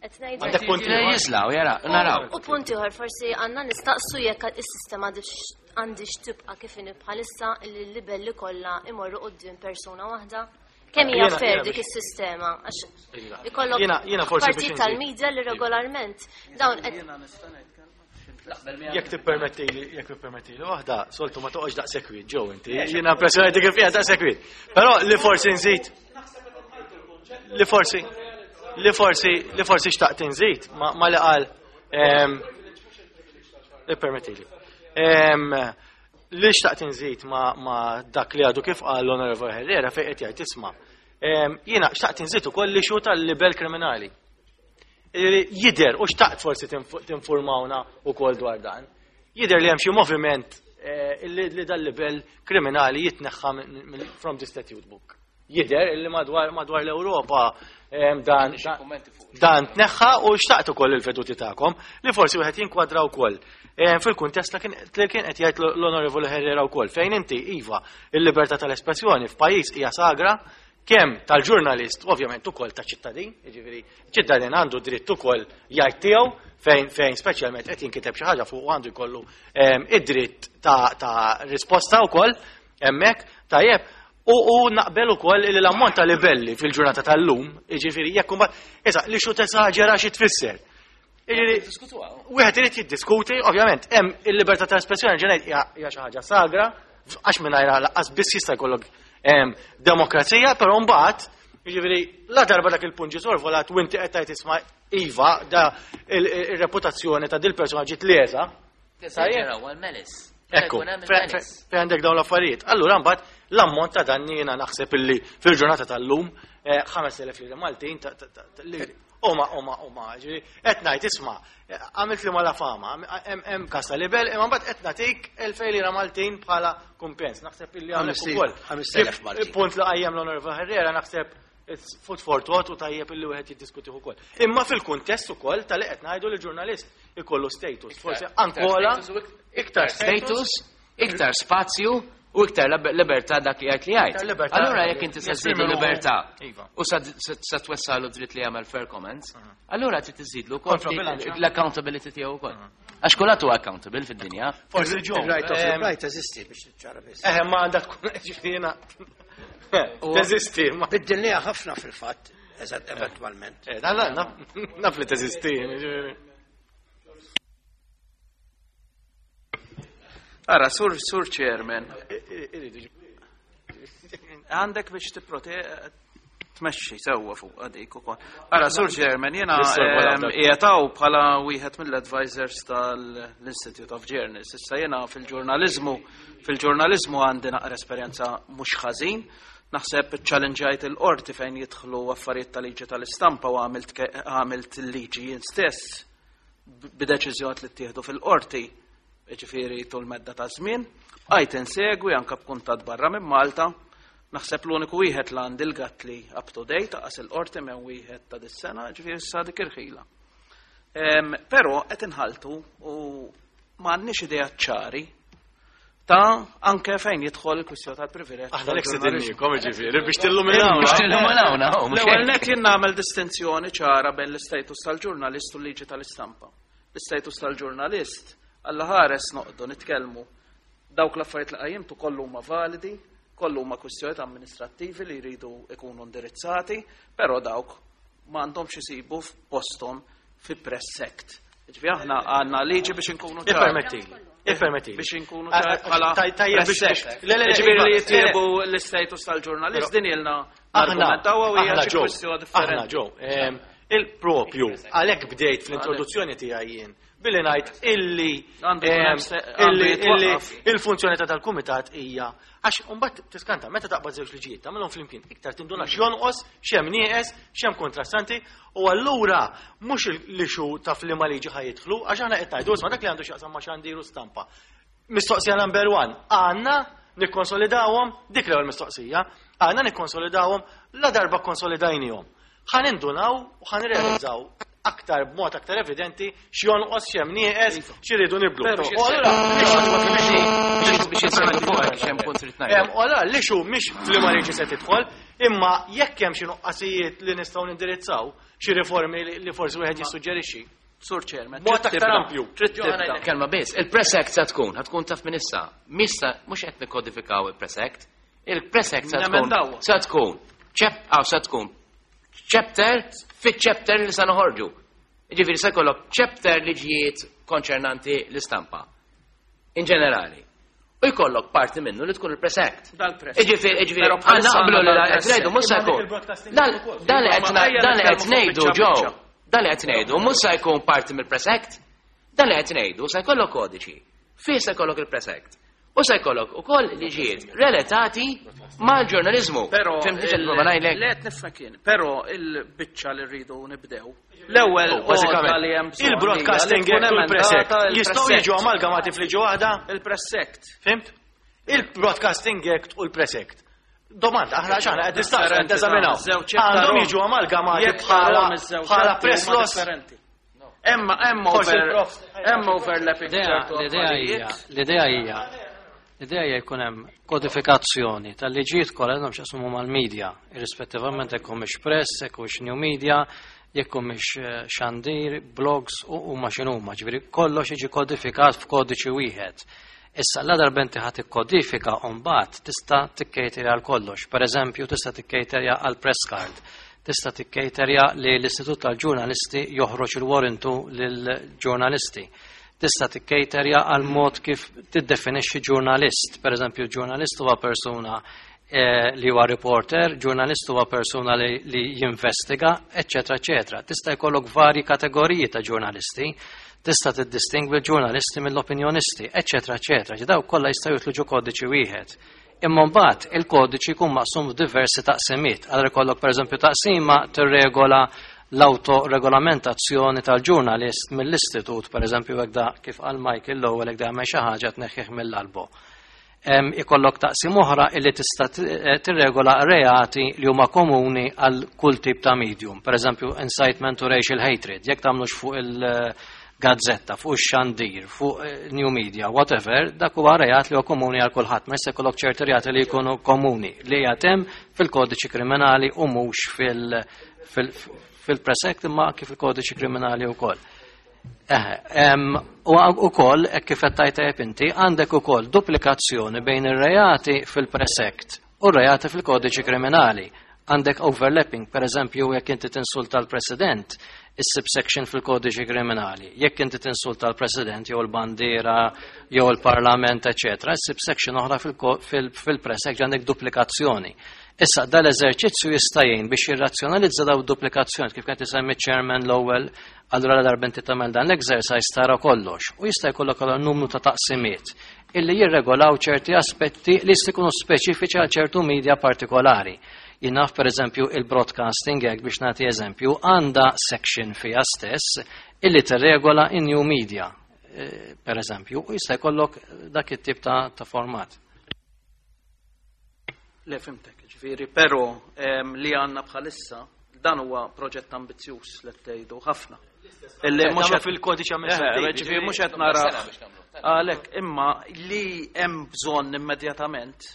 qed ngħidu. Għandek punti ieħor? Jiżlaw, jara, naraw. U punti ieħor forsi għandna nistaqsu jekk is-sistema għandix tibqa' kif inhi bħalissa li l-libelli kollha imorru quddiem persuna waħda. Kemm hija Jiena- fair jiena dik biex- is-sistema? Għax Iva. ikollok Jiena- jiena forsi biex partit inżid. tal-media li regolarment dawn qed Jekk tippermettili, jekk tippermettili waħda, soltu ma toqgħodx daqshekk kwiet, ġew inti. Jiena impressjonati kif qiegħed daqshekk kwiet. Però li forsi nżid. Li forsi li forsi li forsi xtaqt inżid ma li qal ippermettili. Li xtaqt inżid ma dak li għadu kif qal l-Onorevole Herrera fejn qed jgħid isma'. Jiena xtaqt inżid ukoll li xu tal-libel kriminali. Jidher u xtaqt forsi tinformawna ukoll dwar dan. Jidher li hemm xi moviment li dal-libel kriminali jitneħħa from the statute book. Jidher li madwar madwar l-Ewropa dan dan tneħħa u xtaqt ukoll il-veduti tagħkom li forsi wieħed jinkwadra wkoll fil-kuntest li kien qed jgħid l-Onorevoli Herrera wkoll fejn inti iva il-libertà tal-espressjoni f'pajjiż hija sagra kemm tal-ġurnalist, ovvjament ukoll ta' ċittadin, jiġifieri ċittadin għandu dritt ukoll jgħid tiegħu fejn fejn speċjalment qed jinkiteb xi ħaġa fuq għandu jkollu id-dritt ta' risposta wkoll hemmhekk tajjeb. U naqbel ukoll li l-ammont ta' libelli fil-ġurnata tal-lum, jiġifieri jekk imbagħad issa li xu tesaġera xi tfisser. Jiġifieri wieħed irid jiddiskuti, ovvjament hemm il-libertà ta' espressjoni ġenejt hija xi ħaġa sagra, għax mingħajr lanqas biss jista' jkollok demokrazija, però mbagħad jiġifieri la darba dak il-punt ġie sorvolat u inti qed tgħid isma' iva da ir-reputazzjoni ta' dil-persuna ġiet leża. Tesaġera għal melis. Ekku, fejn għandek dawn l-affarijiet. Allura mbagħad l-ammont ta' danni jiena naħseb illi fil-ġurnata tal-lum ħames elef lira Maltin huma huma huma ġifieri qed ngħid isma' għamilt li mala fama, hemm każ ta' libel, imma mbagħad qed nagħtik elfejn lira Maltin bħala kumpens. Naħseb illi hawnhekk ukoll. ħames elef Maltin. Punt li qajjem l-Onorevole Herrera naħseb it's food for thought u tajjeb illi wieħed jiddiskutih ukoll. Imma fil-kuntest ukoll tal-li qed ngħidu li ġurnalist ikollu status, forsi ankola iktar status, iktar spazju u iktar libertà dak li jgħid li jgħid. Allura jekk inti se żżidu libertà u sa twessalu dritt li jagħmel fair comments, allura trid iżidlu wkoll l-accountability tiegħu wkoll. Għax kulħadd huwa accountable fid-dinja. Forsi ġo. Right of reply teżisti biex ċara biss. Eh, ma għandha tkun ġifieri teżisti. Biddilniha ħafna fil-fatt, eżatt eventwalment. Eh, naf li teżisti. Ġifieri. Ara, sur, sur chairman, għandek biex tipprote tmexxi sewwa fuq għadik ukoll. Ara, sur chairman, jiena qiegħed bħala wieħed mill-advisors tal-Institute of Journalists. Issa jiena fil-ġurnaliżmu, fil-ġurnaliżmu għandi naqra esperjenza mhux ħażin. Naħseb challenge-jajt il-qorti fejn jidħlu affarijiet tal-liġi tal-istampa u għamilt il-liġi jien stess b'deċiżjoni li ttieħdu fil-qorti, ġifieri tul medda ta' żmien. Għajt insegwi anka b'kuntat barra minn Malta. Naħseb l-uniku wieħed li għandi l-gatt li up to date għas il-qorti minn wieħed ta' dis-sena, ġifieri sa dik irħila. Però qed inħaltu u m'għandniex idea ċari ta' anke fejn jidħol il-kwistjoni tal-privileġġ. Aħna lek sedinnikom ġifieri biex tilluminawna. Biex tilluminawna, L-ewwel net jien nagħmel distinzjoni ċara bejn l-istatus tal-ġurnalist u l-liġi tal-istampa. L-istatus tal-ġurnalist Alla ħares noqdu nitkellmu dawk l-affarijiet li qajjimtu kollu huma validi, kollu huma kwistjonijiet amministrattivi li jridu ikunu indirizzati, però dawk ma għandhomx isibu f'posthom fi Press Act. Ġifieri aħna għandna liġi biex inkunu ċari. Ippermettili. Ippermettili. Biex inkunu ċari bħala Press Act. Ġifieri li jitjiebu l-istatus tal-ġurnalist din ilna argumentaw u hija xi kwistjoni differenti. Aħna ġo, il-propju, għalhekk bdejt fl-introduzzjoni tiegħi jien billi ngħid illi illi il-funzjoni ta' tal-kumitat hija għax imbagħad tiskanta meta taqbad żewġ liġijiet tagħmilhom flimkien iktar tinduna x'jonqos, x'hemm nieqes, x'hemm kontrastanti u allura mhux li xu ta' f'liema liġi ħa jidħlu għax aħna qed ngħidu isma' dak li għandu x'jaqsam ma' xandiru stampa. Mistoqsija number one, għandna nikkonsolidawhom dik l-ewwel mistoqsija, għandna nikkonsolidawhom la darba konsolidajnihom. Ħa nindunaw u ħa nirrealizzaw aktar b'mod aktar evidenti x'jonqos x'hemm nieqes x'iridu niblu. U allura biex jinsegwu fuq x'hemm punt trid ngħid. U allura li xu mhix f'liema liġi se tidħol, imma jekk hemm xi nuqqasijiet li nistgħu nindirizzaw, xi riformi li forsi wieħed jissuġġerixxi. Sur Chairman, Mod aktar ampju. Trid tibda. Kelma biss, il-Press Act sa tkun, tkun taf minn issa. Missa mhux qed nikkodifikaw il-Press Act. Il-Press Act sa tkun sa tkun aw sa tkun chapter fit-chapter li sa noħorġu. Ġifieri se jkollok chapter liġijiet konċernanti l-istampa. In ġenerali. U jkollok parti minnu li tkun il-Press Act. Dal-Press. Iġifieri, iġifieri, Però bħalissa għandna naqblu li għandna qed dal-Press ngħidu mhux se Imma jkun. il-broadcasting Dan ukoll. dan li qed Imma ejja dan li qed nitkellmu fuq ngħidu biċċa ġew. biċċa. Dan li qed ngħidu mhux se jkun parti mill-Press Act. Dan li qed ngħidu se jkollok kodiċi. Fih se jkollok il-Press Act. U se jkollok ukoll liġijiet relatati mal-ġurnaliżmu. Però Fimtni x'qed il- nipprova ngħidlek? Le qed nifhem kien, però il-biċċa li rridu nibdew. L-ewwel Oh, bażikament, għodda li hemm bżonn il-Broadcasting hija li Act tkun u l-Press Act emendata il-Press jistgħu Act. jiġu amalgamati f'liġi waħda? Il-Press Act. Fhimt? Il-Broadcasting Act u l-Press Act. Domanda, aħna x'aħna qed nistaqsu qed Differenti, neżaminaw. żewġ Għandhom tarhom. jiġu amalgamati Jekk bħala tarhom iż-żewġ bħala atti press huma laws. differenti. Hemm hemm Forsi over il-prof. hemm overlapping L-idea ċertu l-idea hija, affarijiet. l-idea hija, l-idea hija jkun hemm kodifikazzjoni tal-liġijiet kollha għandhom x'jaqsmu mal-media, irrispettivament jekk humiex press, jekk humiex new media, jekk humiex eh, xandir, blogs u huma x'inhuma, ġifieri kollox jiġi kodifikat f'kodiċi wieħed. Issa la darba inti ħadd tikkodifika u mbagħad tista' tikkejterja għal kollox. Per eżempju, tista' tikkejterja għal press card, tista' tikkejterja li l-Istitut tal-Ġurnalisti joħroġ il-warrantu lill-ġurnalisti. Tista' tikkejterja għal mod kif tiddefinixxi ġurnalist. Per eżempju, ġurnalist huwa persuna eh, li huwa reporter, ġurnalist huwa persuna li, li jinvestiga, eċċetera, eċċetera. Tista' jkollok vari kategoriji ta' ġurnalisti, tista' tiddistingwi l-ġurnalisti mill-opinjonisti, eċċetera, eċċetera. Ġi daw kollha jistgħu jitlu ġo kodiċi wieħed. Imma mbagħad il-kodiċi jkun maqsum f'diversi taqsimiet. Allura jkollok pereżempju taqsima tirregola l-autoregolamentazzjoni tal-ġurnalist mill-istitut, pereżempju hekk da kif qal Michael l-ewwel hekk da jagħmel xi ħaġa tneħħih mill-albo. Em, ikollok taqsim oħra illi tista' t- eh, tirregola reati li huma komuni għal kull tip ta' medium. Per eżempju, incitement to racial hatred. Jekk tagħmlux fuq il-gazzetta, fuq ix-xandir, fuq eh, new media, whatever, dak huwa reat li huwa komuni għal kulħadd. Ma jista' jkollok ċerti reati li jkunu komuni li jatem fil-kodiċi kriminali u mhux fil- fil- fil-Press Act imma kif il-kodiċi kriminali wkoll. Eħe, em, u ukoll, hekk kif qed tajt tajjeb inti, għandek ukoll duplikazzjoni bejn ir-reati fil-Press Act u r-reati fil-kodiċi kriminali. Għandek overlapping, per eżempju, jekk inti tinsulta l-President, is-subsection fil-kodiċi kriminali. Jekk inti tinsulta l-President jew l-bandiera jew il-Parlament, eċetera, is-subsection oħra fil-ko- fil- fil-Press Act għandek duplikazzjoni. Issa, dal-eżerċizzju jista' jgħin biex jirrazzjonalizza daw duplikazzjoni kif kien tisemmi chairman l-ewwel, allura la darba inti tagħmel dan l-exercise tara kollox u jista' jkollok allura numru ta' taqsimiet illi jirregolaw ċerti aspetti li jista' jkunu speċifiċi għal ċertu media partikolari. Jien naf per eżempju il-Broadcasting Act biex nagħti eżempju għandha section fiha stess illi tirregola in new media eh, per eżempju u jista' jkollok dak it-tip ta', ta' format. Le fhimtek, ġifieri, però em, li għandna bħalissa dan huwa proġett ambizzjuż li tgħidu ħafna. Illi mhux qed fil-kodiċi Eh, amministrattiv. ġifieri mhux qed nara għalhekk imma li hemm bżonn immedjatament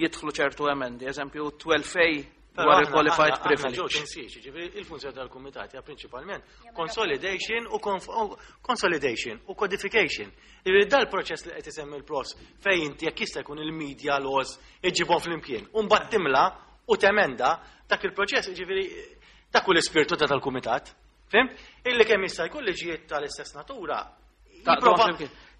jidħlu ċertu emendi, eżempju tnax A dwar il-qualified privilege. Ġifieri il-funzjoni tal-kumitat hija prinċipalment consolidation u conf- u consolidation u codification. Ġifieri dal-proċess li qed isemmi l-pros fejn inti jekk jista' jkun il-media laws iġibhom flimkien. U mbagħad timla u temenda dak il-proċess, ġifieri dak hu l-ispirtu ta' tal-kumitat. Fhimt? Illi kemm jista' jkun liġijiet tal-istess natura jipprova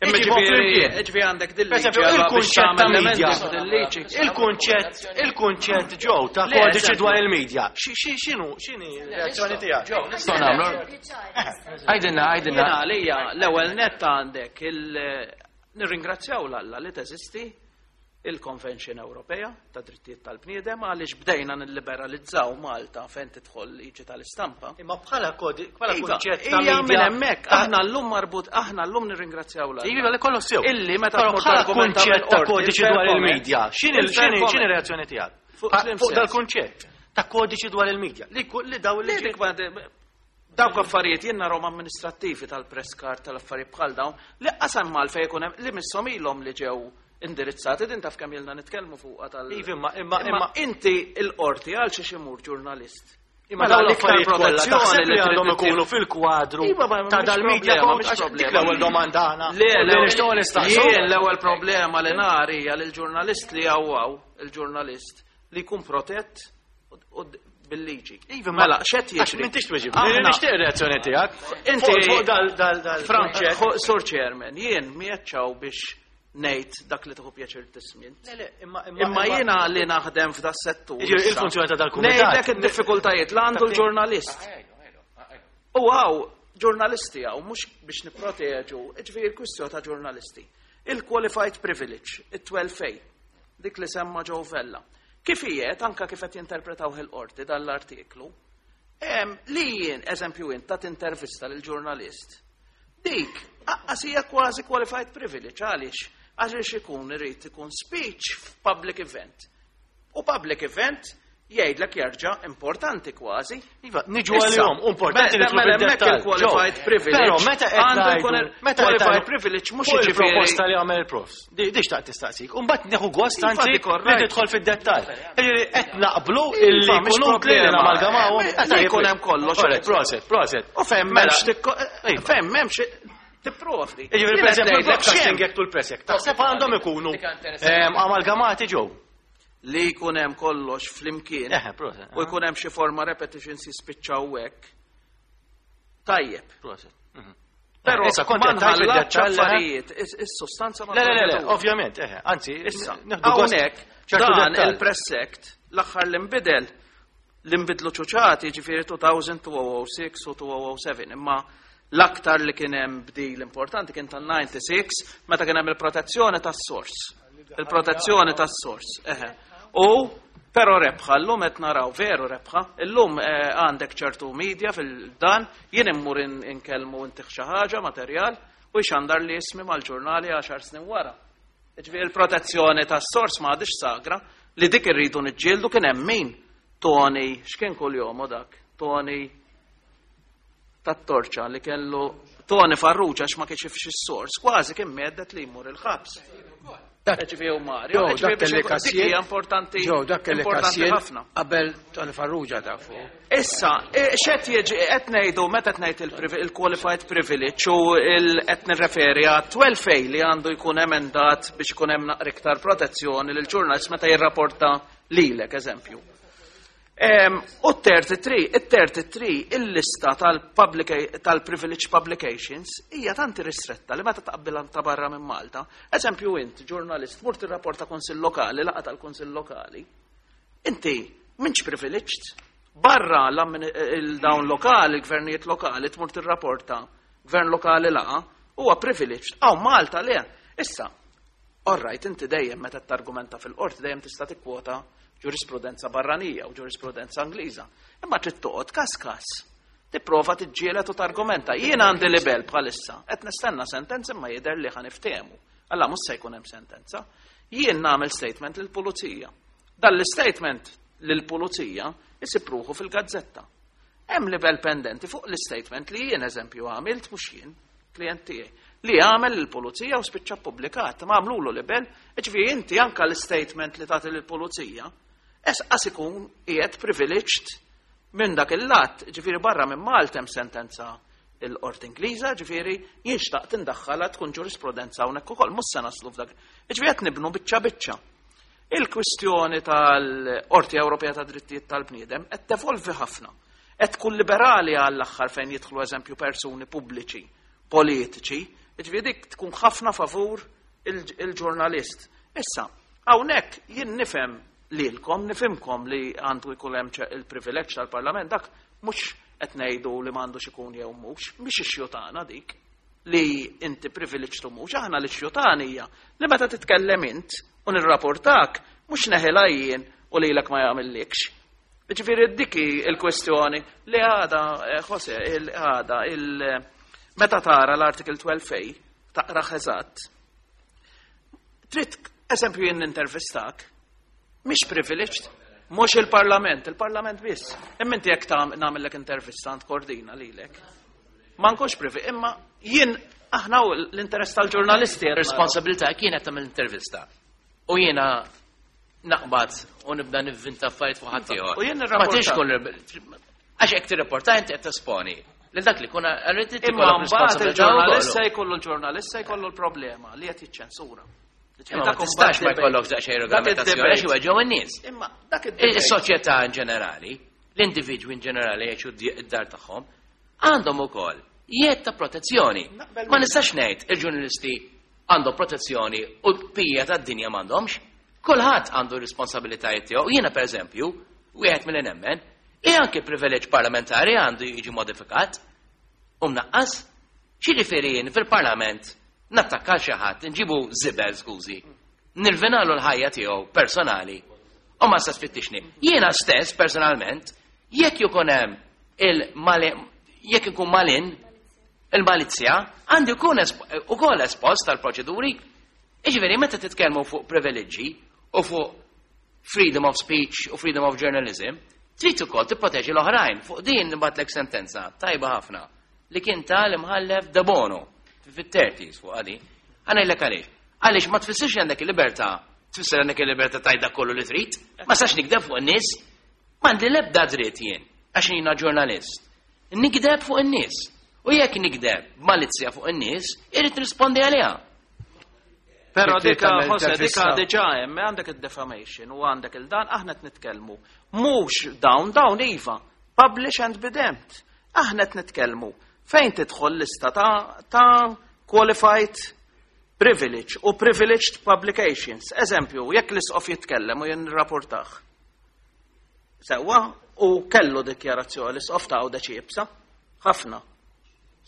Imma iġibhom ġifieri flimkien. ġifieri għandek Per dil-liġi esempio, allora biex il-kunċett ta' tagħmel media. l-emendi f'dil-liġi. Il-kunċett, il-kunċett ġew ta' Le, kodiċi eżempju. dwar il-media. Xi- xi- X'inhu, x'inhi r-reazzjoni tiegħek? Nistgħu nagħmlu. Għidilna, għidilna. Jiena għalija l-ewwel nett għandek il nirringrazzjaw l-Alla li teżisti il-Convention Ewropea ta' Drittijiet tal-Bniedem għaliex bdejna nilliberalizzaw Malta fejn tidħol liġi tal-istampa. Imma bħala kodi, bħala Iva, kunċett ta' hija minn media. hemmhekk aħna llum marbut aħna llum nirringrazzjaw l-Alla. Iva, li kollox sew. Illi meta Però tmur bħala targumenta kunċett ta' mill-qorti, kodiċi dwar il-fair il-media. X'inhi comment. x'inhi Il-fair x'inhi reazzjoni tiegħek? Fuq Pa- slim Fuq sens. dal-kunċett ta' kodiċi dwar il-media. Li ku- li daw Li li dik ma- Dawk affarijiet jien narhom amministrattivi tal-press card tal-affarijiet bħal dawn li qasam mal fejn ikun hemm li misshom ilhom li ġew indirizzati din taf kemm ilna nitkellmu fuqha tal. Iva, imma imma imma inti il-qorti għal xi imur ġurnalist. Imma Mela dawn l-iktar l-affarijiet kollha protezzjoni taħseb li trid għandhom tittieħed- ikunu fil-kwadru Iva, ma ta' mhix dal-media problema, code, mhix għax dik problema. l-ewwel domanda aħna. Le, Li l-ewwel- nixtiequ nistaqsu. Jien l-ewwel problema li nara hija li l-ġurnalist li hawn il-ġurnalist li jkun protett u- u bil-liġi. Iva, ma Mela, x'qed Għax jiġri? m'intix tweġib. Aħna- Nixtieq reazzjoni tiegħek. Inti Fuq- fuq dal dal dal Frank, Sur Chairman, jien miegħed biex ngħid dak li tieħu pjaċir tismint. Imma jiena li naħdem f'da settur. Il-funzjoni ta' dal-kumitat. Ngħidlek id-diffikultajiet li għandu l-ġurnalist. U għaw, ġurnalisti għaw, mhux biex nipproteġu, ġifieri il-kwistjoni ta' ġurnalisti. Il-qualified privilege, it-twelve A, dik li semma Joe Vella. Kif ijiet, anka kif qed jinterpretaw il-qorti dal-artiklu, li jien, eżempju jien, tat intervista lil ġurnalist, dik, aqqas hija kważi qualified privilege, għaliex? Għaliex ikun irid ikun speech f'public event. U public event jgħidlek jerġa' importanti kważi. Iva, niġu għalihom, importanti li mela hemmhekk il-qualified privilege. Però meta qed għandu jkun meta qed qualified privilege mhux fuq jiġifieri il-proposta li għamel il-profs. Di xtaqt tistaqsik. U mbagħad nieħu gost Iva, anzi dik all li right. tidħol fid-dettall. Jiġifieri qed naqblu Iva, illi mhix jkun utli li problema. namalgamawhom. Eh, li jkun hemm kollox. Alright, Proset, proset. U fejn Mela, m'hemmx tikko- fejn m'hemmx tipprovdi. Jiġifieri Jien per eżempju qed ngħidlek il-broadcasting x'hemm. act u l-press act. Taħseb għandhom ikunu ehm, amalgamati ġew. Li jkun hemm kollox flimkien Eħe, proset. u jkun hemm xi forma repetitions jispiċċaw hekk. Tajjeb. Proset. Mhm. Però Issa kont ma qed tgħid nħallatx fid-dettall, eh? affarijiet, is- is-sustanza ma Le, le, le, le, nħallatux. ovvjament, eħe, anzi, Issa, nieħdu gost hawnhekk ċertu dan dettall. il-Press Act l-aħħar li nbidel li nbidlu ċuċati ġifieri two thousand, two thousand six u two thousand seven, imma l-aktar li kien hemm bdil importanti kien tan-disgħa u disgħin meta kien hemm il-protezzjoni tas-sors. Il-protezzjoni tas-sors, eħe. U però rebħa, llum qed naraw veru rebħa, illum eh, għandek ċertu media fil-dan, jien immur in- inkellmu intih xi ħaġa materjal u jxandar li ismi mal-ġurnali għaxar snin wara. Ġifieri il-protezzjoni tas-sors ma għadix sagra li dik irridu niġġieldu. Kien hemm min Tony, x'kien kuljom u dak? Tony tat-torċa li kellu Tony Farrugia, għax ma kienx ifx is-sors, kważi kien meddet li jmur il-ħabs. Ġifieri u Mario, Joe, ġifieri dak biex kelli ikun- dik kassier. hija importanti, Joe, dak kelli importanti kassier ħafna. qabel Tony Farrugia tafu. Issa, e, x'qed jiġi qed ngħidu meta qed ngħid il-privi- il-qualified privilege u il- qed nirreferi għat twelve A li għandu jkun emendat biex ikun hemm naqra iktar protezzjoni lil ġurnalist meta jirrapporta lilek, eżempju. Em, U t-thirty-three, it-thirty-three, il-lista tal-publica- tal-privilege publications hija tanti ristretta li meta taqbilha ta' barra minn Malta. Eżempju int, ġurnalist, mur tirrapporta kunsill lokali, laqgħa tal-kunsill lokali, inti m'intx privileged. Barra il-dawn lokali, il-gvernijiet lokali, tmur tirrapporta gvern lokali laqa, huwa privileged. Aw Malta le. Issa, all right, inti dejjem meta targumenta fil-qorti dejjem tista' tikkwota ġurisprudenza barranija u ġurisprudenza Ingliża. Imma trid toqgħod kas kas. Tipprova tiġġieled u targumenta. Jien għandi libel bħalissa, qed nistenna sentenza imma jidher li ħa niftehmu. Alla mhux se jkun hemm sentenza. Jien nagħmel statement lill-pulizija. Dan l-statement lill-pulizija isib ruħu fil-gazzetta. Hemm libel pendenti fuq l-statement li jien eżempju għamilt, mhux jien, klient tiegħi, li għamel lill-pulizija u spiċċa ppubblikat, ma għamlulu libel, ġifieri inti anka l-statement li tagħti lill-pulizija, es ikun qiegħed privileged minn dak il-lat, ġifieri barra minn Malta hemm sentenza il-qorti Ingliża, ġifieri jien xtaqt indaħħalha tkun ġurisprudenza hawnhekk ukoll, mhux se naslu f'dak. Ġifieri qed nibnu biċċa biċċa. Il-kwistjoni tal-Qorti Ewropea ta' Drittijiet tal-Bniedem qed tevolvi ħafna. Qed tkun liberali għall-aħħar fejn jidħlu eżempju persuni pubbliċi, politiċi, ġifieri dik tkun ħafna favur il- il-ġurnalist. Issa, hawnhekk jien nifhem lilkom, nifhimkom li għandu jkun hemm ċe- il-privileġġ tal-Parlament, dak mhux qed ngħidu li m'għandux ikun jew mhux, mhix issue tagħna dik li inti privileġġ tu mhux, aħna l-issue tagħna hija li meta titkellem int u nirrapportak mhux neħilha jien u lilek ma jagħmillikx. Ġifieri dik hi il-kwestjoni li għada, eh, Jose, il- għada, il- meta tara l-article twelve A, taqra eżatt, trid, eżempju jien intervistak, mhix privileged, mhux il-Parlament, il-Parlament biss. Imma inti jekk tam- nagħmellek intervista għand Kordina lilek. Ma nkunx privi, imma jien aħna u l-interess tal-ġurnalisti qed naraw. Responsabilità kienet tagħmel intervista. U jiena naqbad u nibda nivvinta affarijiet fuq ħadd ieħor. U jien Ma nirrapporta. tix kun għax hekk tirrapporta inti qed tesponi. Lil dak li kun għalli Imma mbagħad il-ġurnalist se jkollu l-ġurnalist se jkollu l-problema li qed jiċċensura. Imma ma tistax ma jkollok daqsxejn regolamentazzjoni għax iweġġew in-nies. Imma dak id-debate. Is-soċjetà in ġenerali, l-individwi in ġenerali jgħixu d-dar tagħhom, għandhom ukoll jedd ta' protezzjoni. Naqbel Ma nistax ngħid il-ġurnalisti għandhom protezzjoni u l-bqija tad-dinja m'għandhomx. Kulħadd għandu responsabilitajiet tiegħu. Jiena pereżempju, wieħed milli nemmen, li anke privileġġ parlamentari għandu jiġi modifikat u mnaqqas. X'jiġifieri jien fil-parlament nattakka xi ħadd, nġibu żibel, skużi, nirvinalu l-ħajja tiegħu personali u ma sa tfittixni. Jiena stess personalment, jekk jkun hemm il jekk ikun malin il-malizja, għandi jkun ukoll espost tal-proċeduri. Iġifieri meta titkellmu fuq privileġġi u fuq freedom of speech u freedom of journalism, trid ukoll tipproteġi l-oħrajn. Fuq din nibgħatlek sentenza tajba ħafna li kien tal-imħallef Debono fit-thirties fuq għadi. Ħa ngħidlek għaliex. Għaliex ma tfissirx għandek il-libertà, tfisser għandek il-libertà tgħid dak kollu li trid. Ma sax nikdeb fuq in-nies. M'għandi l-ebda dritt jien, għax jiena ġurnalist. Nikdeb fuq in-nies. U jekk nikdeb malizzja fuq in-nies, irrid rispondi għaliha. Pero dika, Jose, dika diġà hemm għandek il-defamation u għandek il-dan, aħna qed nitkellmu. Mhux dawn, dawn iva, publish and be damned. Aħna qed nitkellmu fejn tidħol lista ta', ta qualified privilege u privileged publications. Eżempju, jekk l-isqof jitkellem u jien rapportaħ. Sewwa, u kellu dikjarazzjoni l-isqof ta' Għawdex iebsa, ħafna.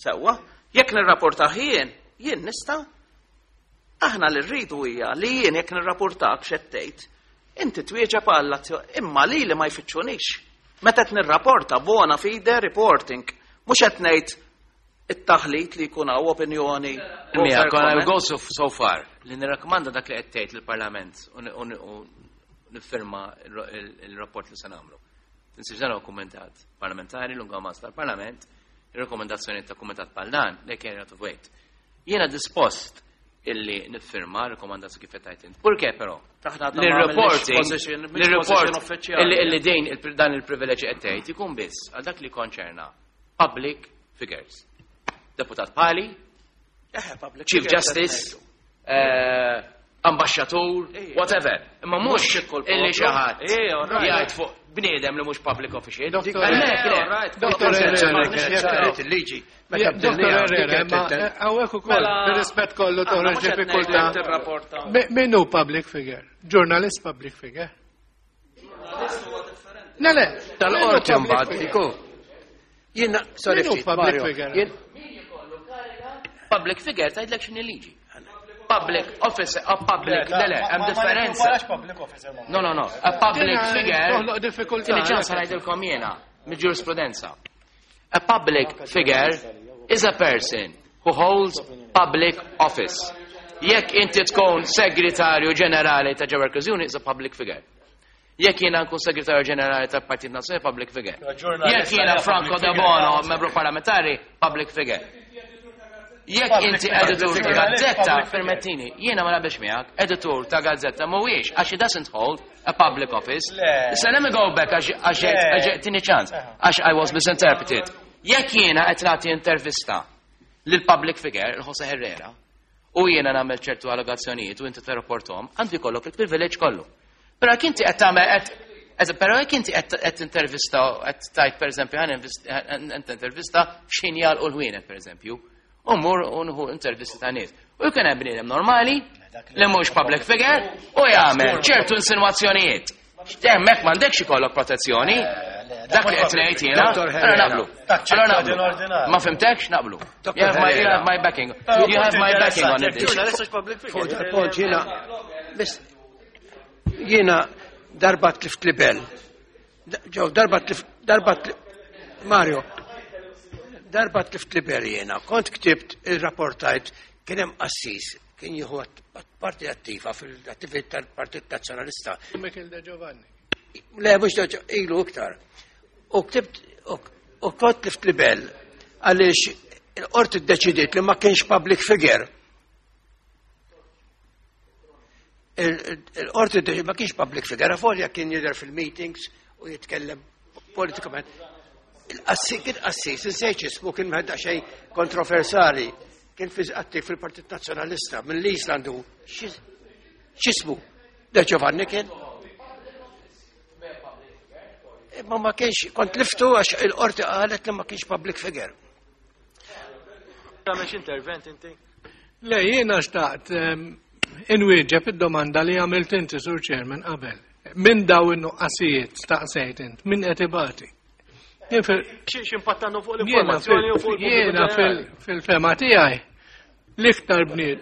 Sewwa, jekk nirrapportaħ jien, jien nista' aħna li rridu hija li jien jekk nirrapportak x'qed tgħid, inti twieġeb għall imma li li ma jfittxunix. Meta qed nirrapporta bona fide reporting, mhux qed ngħid it-taħlit li jkun hawn opinjoni. Mija, I will go so, so far li nirrakkomanda dak li qed tgħid lill-Parlament u niffirma il-rapport li se nagħmlu. Tinsiex dan huwa kumitat parlamentari, lunga tal-Parlament, il-rekomendazzjoni ta' kumitat bħal dan, they carry out of weight. Jiena dispost illi niffirma rekomendazzjoni kif qed int. Purché però? L-reporting, l-report illi din dan il-privileġġ qed tgħid ikun biss għal dak li konċerna public figures. Deputat Pali, Chief Justice, eh, ambasċatur, whatever. Imma mhux illi xi ħadd jgħid fuq bniedem li mhux public official. Doktor il-liġi. Doktor Herrera, hawnhekk ukoll, bir-rispett kollu toħroġ diffikultà. Min hu public figure? Journalist public figure? Le, le. Tal-qorti mbagħad iku. Jiena, sorry, public figure? Public figure tgħidlek x'inhi liġi. Public officer, a public, le le, hemm differenza. No, no, no, a public figure. Toħloq diffikultà. Tini ċans ngħidilkom jiena mill-ġurisprudenza. A public figure is a person who holds public office. Jekk inti tkun segretarju ġenerali ta' Workers Union is a public figure. Jekk jiena nkun segretarju ġenerali tal Partit Nazzjonali, public figure. Jekk jiena Franco De Bono, membru parlamentari, public figure. Jekk inti editur ta' gazzetta, permettini, jiena ma naqbilx miegħek, editur ta' gazzetta mhuwiex għax he doesn't hold a public office. Issa let me go back għax tini ċans, għax I was misinterpreted. Jekk jiena qed nagħti intervista lil public figure, il-Jose Herrera, u jiena nagħmel ċertu allegazzjonijiet u inti tirrapporthom, għandu jkollok il-privileġġ kollu. Però jekk inti qed tagħmel qed però jekk inti qed intervista qed tajt pereżempju ħan intervista x'ħin jagħlqu l-ħwienet pereżempju, u mmur u nieħu intervisti ta' nies. U jkun hemm bniedem normali li mhux public figure u jagħmel ċertu insinwazzjonijiet. Hemmhekk m'għandekx ikollok protezzjoni. Dak li qed ngħid jiena, allora naqblu. Allora naqblu. Ma fhimtekx naqblu. You have my, you have my backing. You have my backing on it. Fuq dal-punt jiena jiena darba tlift libel. Ġew darba tlift darba Mario, darba tlift libel jiena. Kont ktibt il-rapportajt kien hemm qassis kien jieħu parti attiva fil-attività tal-Partit Nazzjonalista. Michael De Giovanni. Le, mhux ilu iktar. U ktibt u kont tlift libel għaliex il-qorti ddeċidiet li ma kienx public figure. Il-qorti ddeċidiet ma kienx public figure, avolja kien jidher fil-meetings u jitkellem politikament. Il-qassis kien qassis, insejt ismu kien mħedda xejn kontroversali, kien fi attiv fil-Partit Nazzjonalista minn l-Islandu. X'ismu? De Giovanni kien? Imma ma kienx, kont liftu għax il-qorti qalet li ma kienx public figure. Tagħmel intervent inti? Le, jiena xtaqt inwieġeb id-domanda li għamilt inti, Sur Chairman, qabel. Min daw in-nuqqasijiet staqsejt int, min qed ibati? X'impatt għandu fuq l-informazzjoni u fuq Jiena fil-fema tiegħi l-iktar bniet.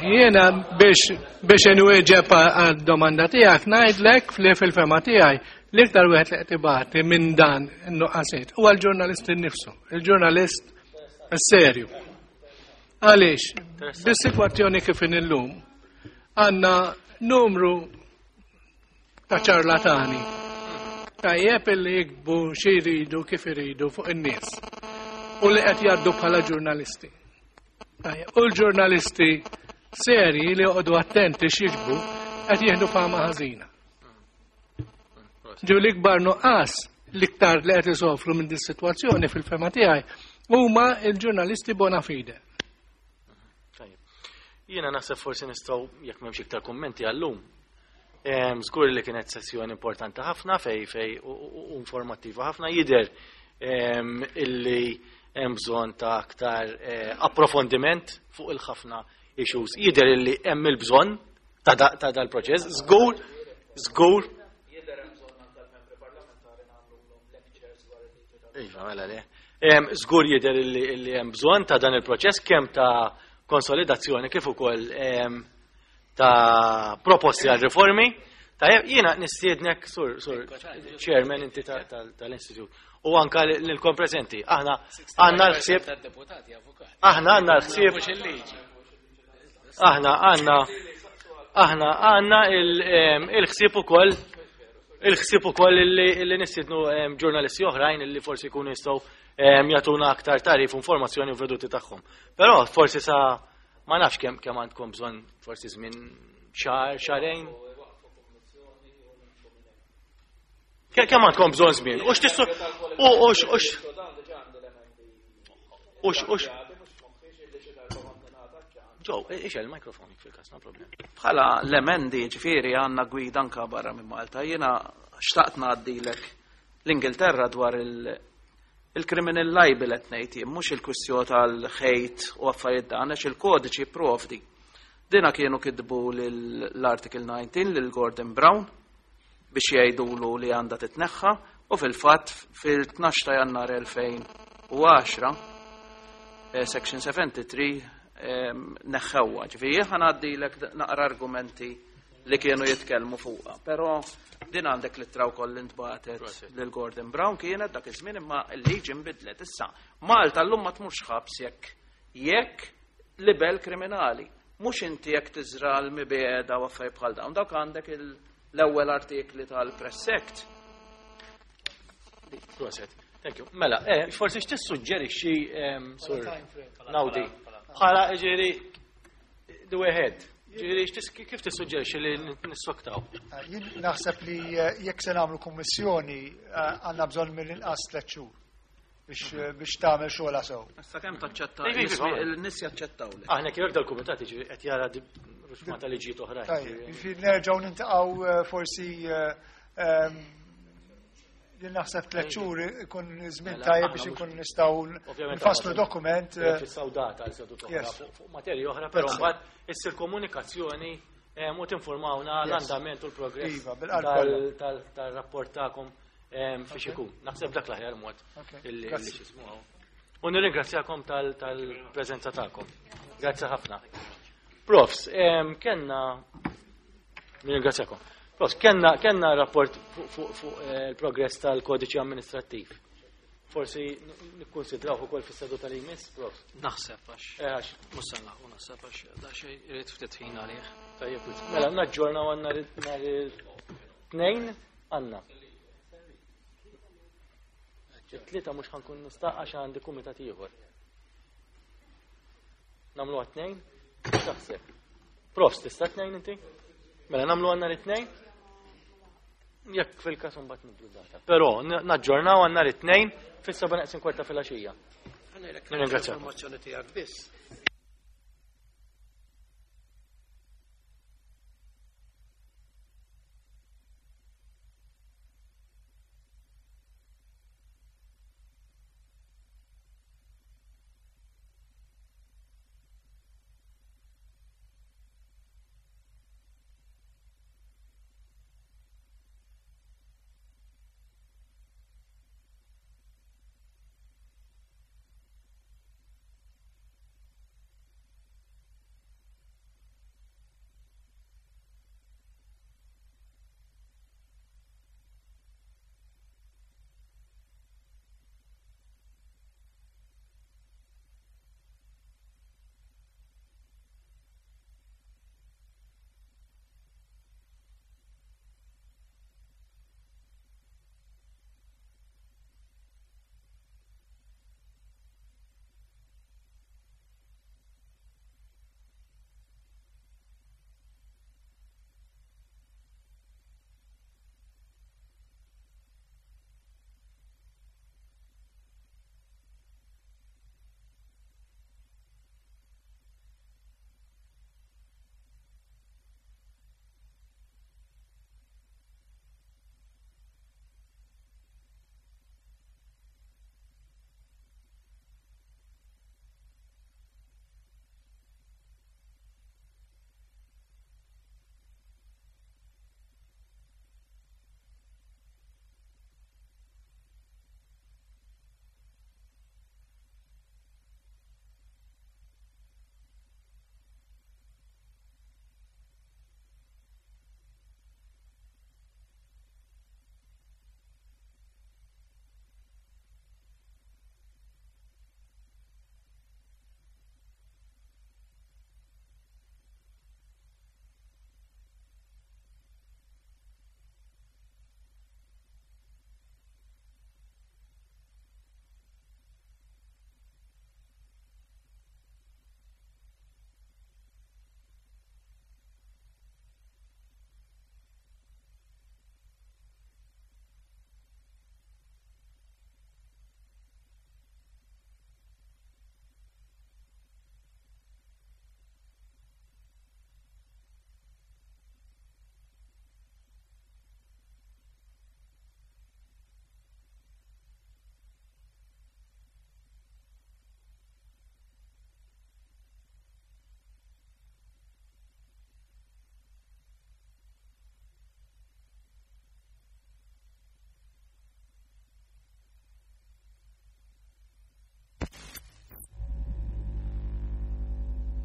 Jiena biex biex inwieġeb għad-domanda tiegħek ngħidlek li fil-fema tiegħi l-iktar wieħed li qed ibati minn dan in-nuqqasiet huwa l-ġurnalist innifsu, il-ġurnalist serju. Għaliex, bis-sitwazzjoni kif illum għandna numru ta' ċarlatani tajjeb illi jiktbu xi jridu kif iridu fuq in-nies u li qed jgħaddu bħala ġurnalisti. U l-ġurnalisti seri li joqogħdu attenti x'jiġbu qed jieħdu fama ħażina. Ġew l-ikbar nuqqas l-iktar li qed isofru minn din is-sitwazzjoni fil-fema tiegħi huma l-ġurnalisti bona fide. Jiena naħseb forsi nistgħu jekk m'hemmx iktar kummenti għallum. Żgur li kienet sessjoni importanti ħafna fej fej u informattiva ħafna jidher illi hemm bżonn ta' aktar approfondiment fuq il-ħafna issues. Jidher illi hemm il-bżonn ta' dal-proċess. Żgur, żgur. Iva, mela le. Żgur jidher illi hemm bżonn ta' dan il-proċess kemm ta' konsolidazzjoni kif ukoll ta' proposti għal riformi. Tajjeb, jiena nistiednek sur sur chairman inti tal-istitut u anka lilkom preżenti. Aħna għandna l-ħsieb aħna għandna l-ħsieb aħna għandna aħna għandna il-ħsieb ukoll il-ħsieb ukoll illi nistiednu ġurnalisti oħrajn illi forsi jkunu jistgħu jagħtuna aktar tarif u informazzjoni u veduti tagħhom. Però forsi sa ma nafx kemm kemm għandkom bżonn forsi żmien xahar, xahrejn. Kemm għandkom bżonn żmien? U x'tissu u u u u u Ġew, ixel il-mikrofon fil-każ, no problem. Bħala l-emendi ġifieri għandna gwida anka barra minn Malta. Jiena xtaqt ngħaddilek l-Ingilterra dwar il-criminal libel qed ngħid jien, mhux il-kwistjoni tal-ħejt u affarijiet dan, għax il-kodiċi jipprovdi. Dina kienu kitbu l-Article nineteen lil Gordon Brown biex jgħidulu li għandha titneħħa u fil-fatt fil-tnax ta' Jannar elfejn u għaxra, Section seventy-three neħħewha. Ġifieri jien ħa naqra argumenti li kienu jitkellmu fuqha, però din għandek l-ittra wkoll li ntbagħtet lil Gordon Brown kienet dak iż-żmien imma l-liġi nbidlet issa. Malta llum ma tmurx ħabs jekk jekk libel kriminali, mhux inti jekk tiżra l-mibeda u affarijiet bħal dawn, dawk għandek l-ewwel artikli tal-Press Act. Proset. Thank you. Mela, eh, forsi x'tissuġġerixxi sur Naudi? Bħala ġieri the way ahead. Ġieri kif tissuġġerixxi li nissoktaw? Jien naħseb li jekk se nagħmlu kummissjoni għandna bżonn mill-inqas tliet xhur biex biex tagħmel xogħolha sew. Issa kemm taċċetta n-nies jaċċettaw. Aħna kif dal-kumitat jiġifieri qed jara ruxma ta' liġijiet oħrajn. Tajjeb, jiġifieri nerġgħu nintaqgħu forsi Jien naħseb tliet xhur ikun żmien Mela, tajjeb aħna biex mhux- inkun nistgħu Ovvjament nfasslu aħna- dokument. eh, Fissaw data għal seduta oħra Yes. fuq fuq materja oħra, però That's it. mbagħad issir komunikazzjoni em, u tinformawna Yes. l-andament u l-progress Iva, bil-qalb tal- kollha. tal- tal-rapport tagħkom em, fiex ikun. Naħseb dak l-aħjar mod Okay. illi Grazzi. illi x'ismu hawn. U nirringrazzjakom tal- tal-preżenza tagħkom. Grazzi ħafna. Profs, em, kenna nirringrazzjakom. Profs, kenna kenna rapport fuq fuq fuq, eh, il-progress tal-kodiċi amministrattiv. Forsi n- nikkonsidraw ukoll fis-seduta li jmiss, Profs. Naħseb għax. Eh, għax. Mhux se nlaħqu naħseb għax da xejn irid ftit ħin għalih. Tajjeb, mela naġġornaw għandna nhar il-tnejn għandna. It-tlieta mhux ħankun nista' għax għandi kumitat ieħor. Nagħmlu għat-tnejn? Taħseb. Profs, tista' tnejn inti? Mela nagħmlu għandna it-tnejn? Jekk fil-każ imbagħad nibdlu data. Però n- naġġornaw għandna it-tnejn fis-seba' neqsin kwarta filgħaxija. Nirringrazzjakom. Informazzjoni tiegħek biss.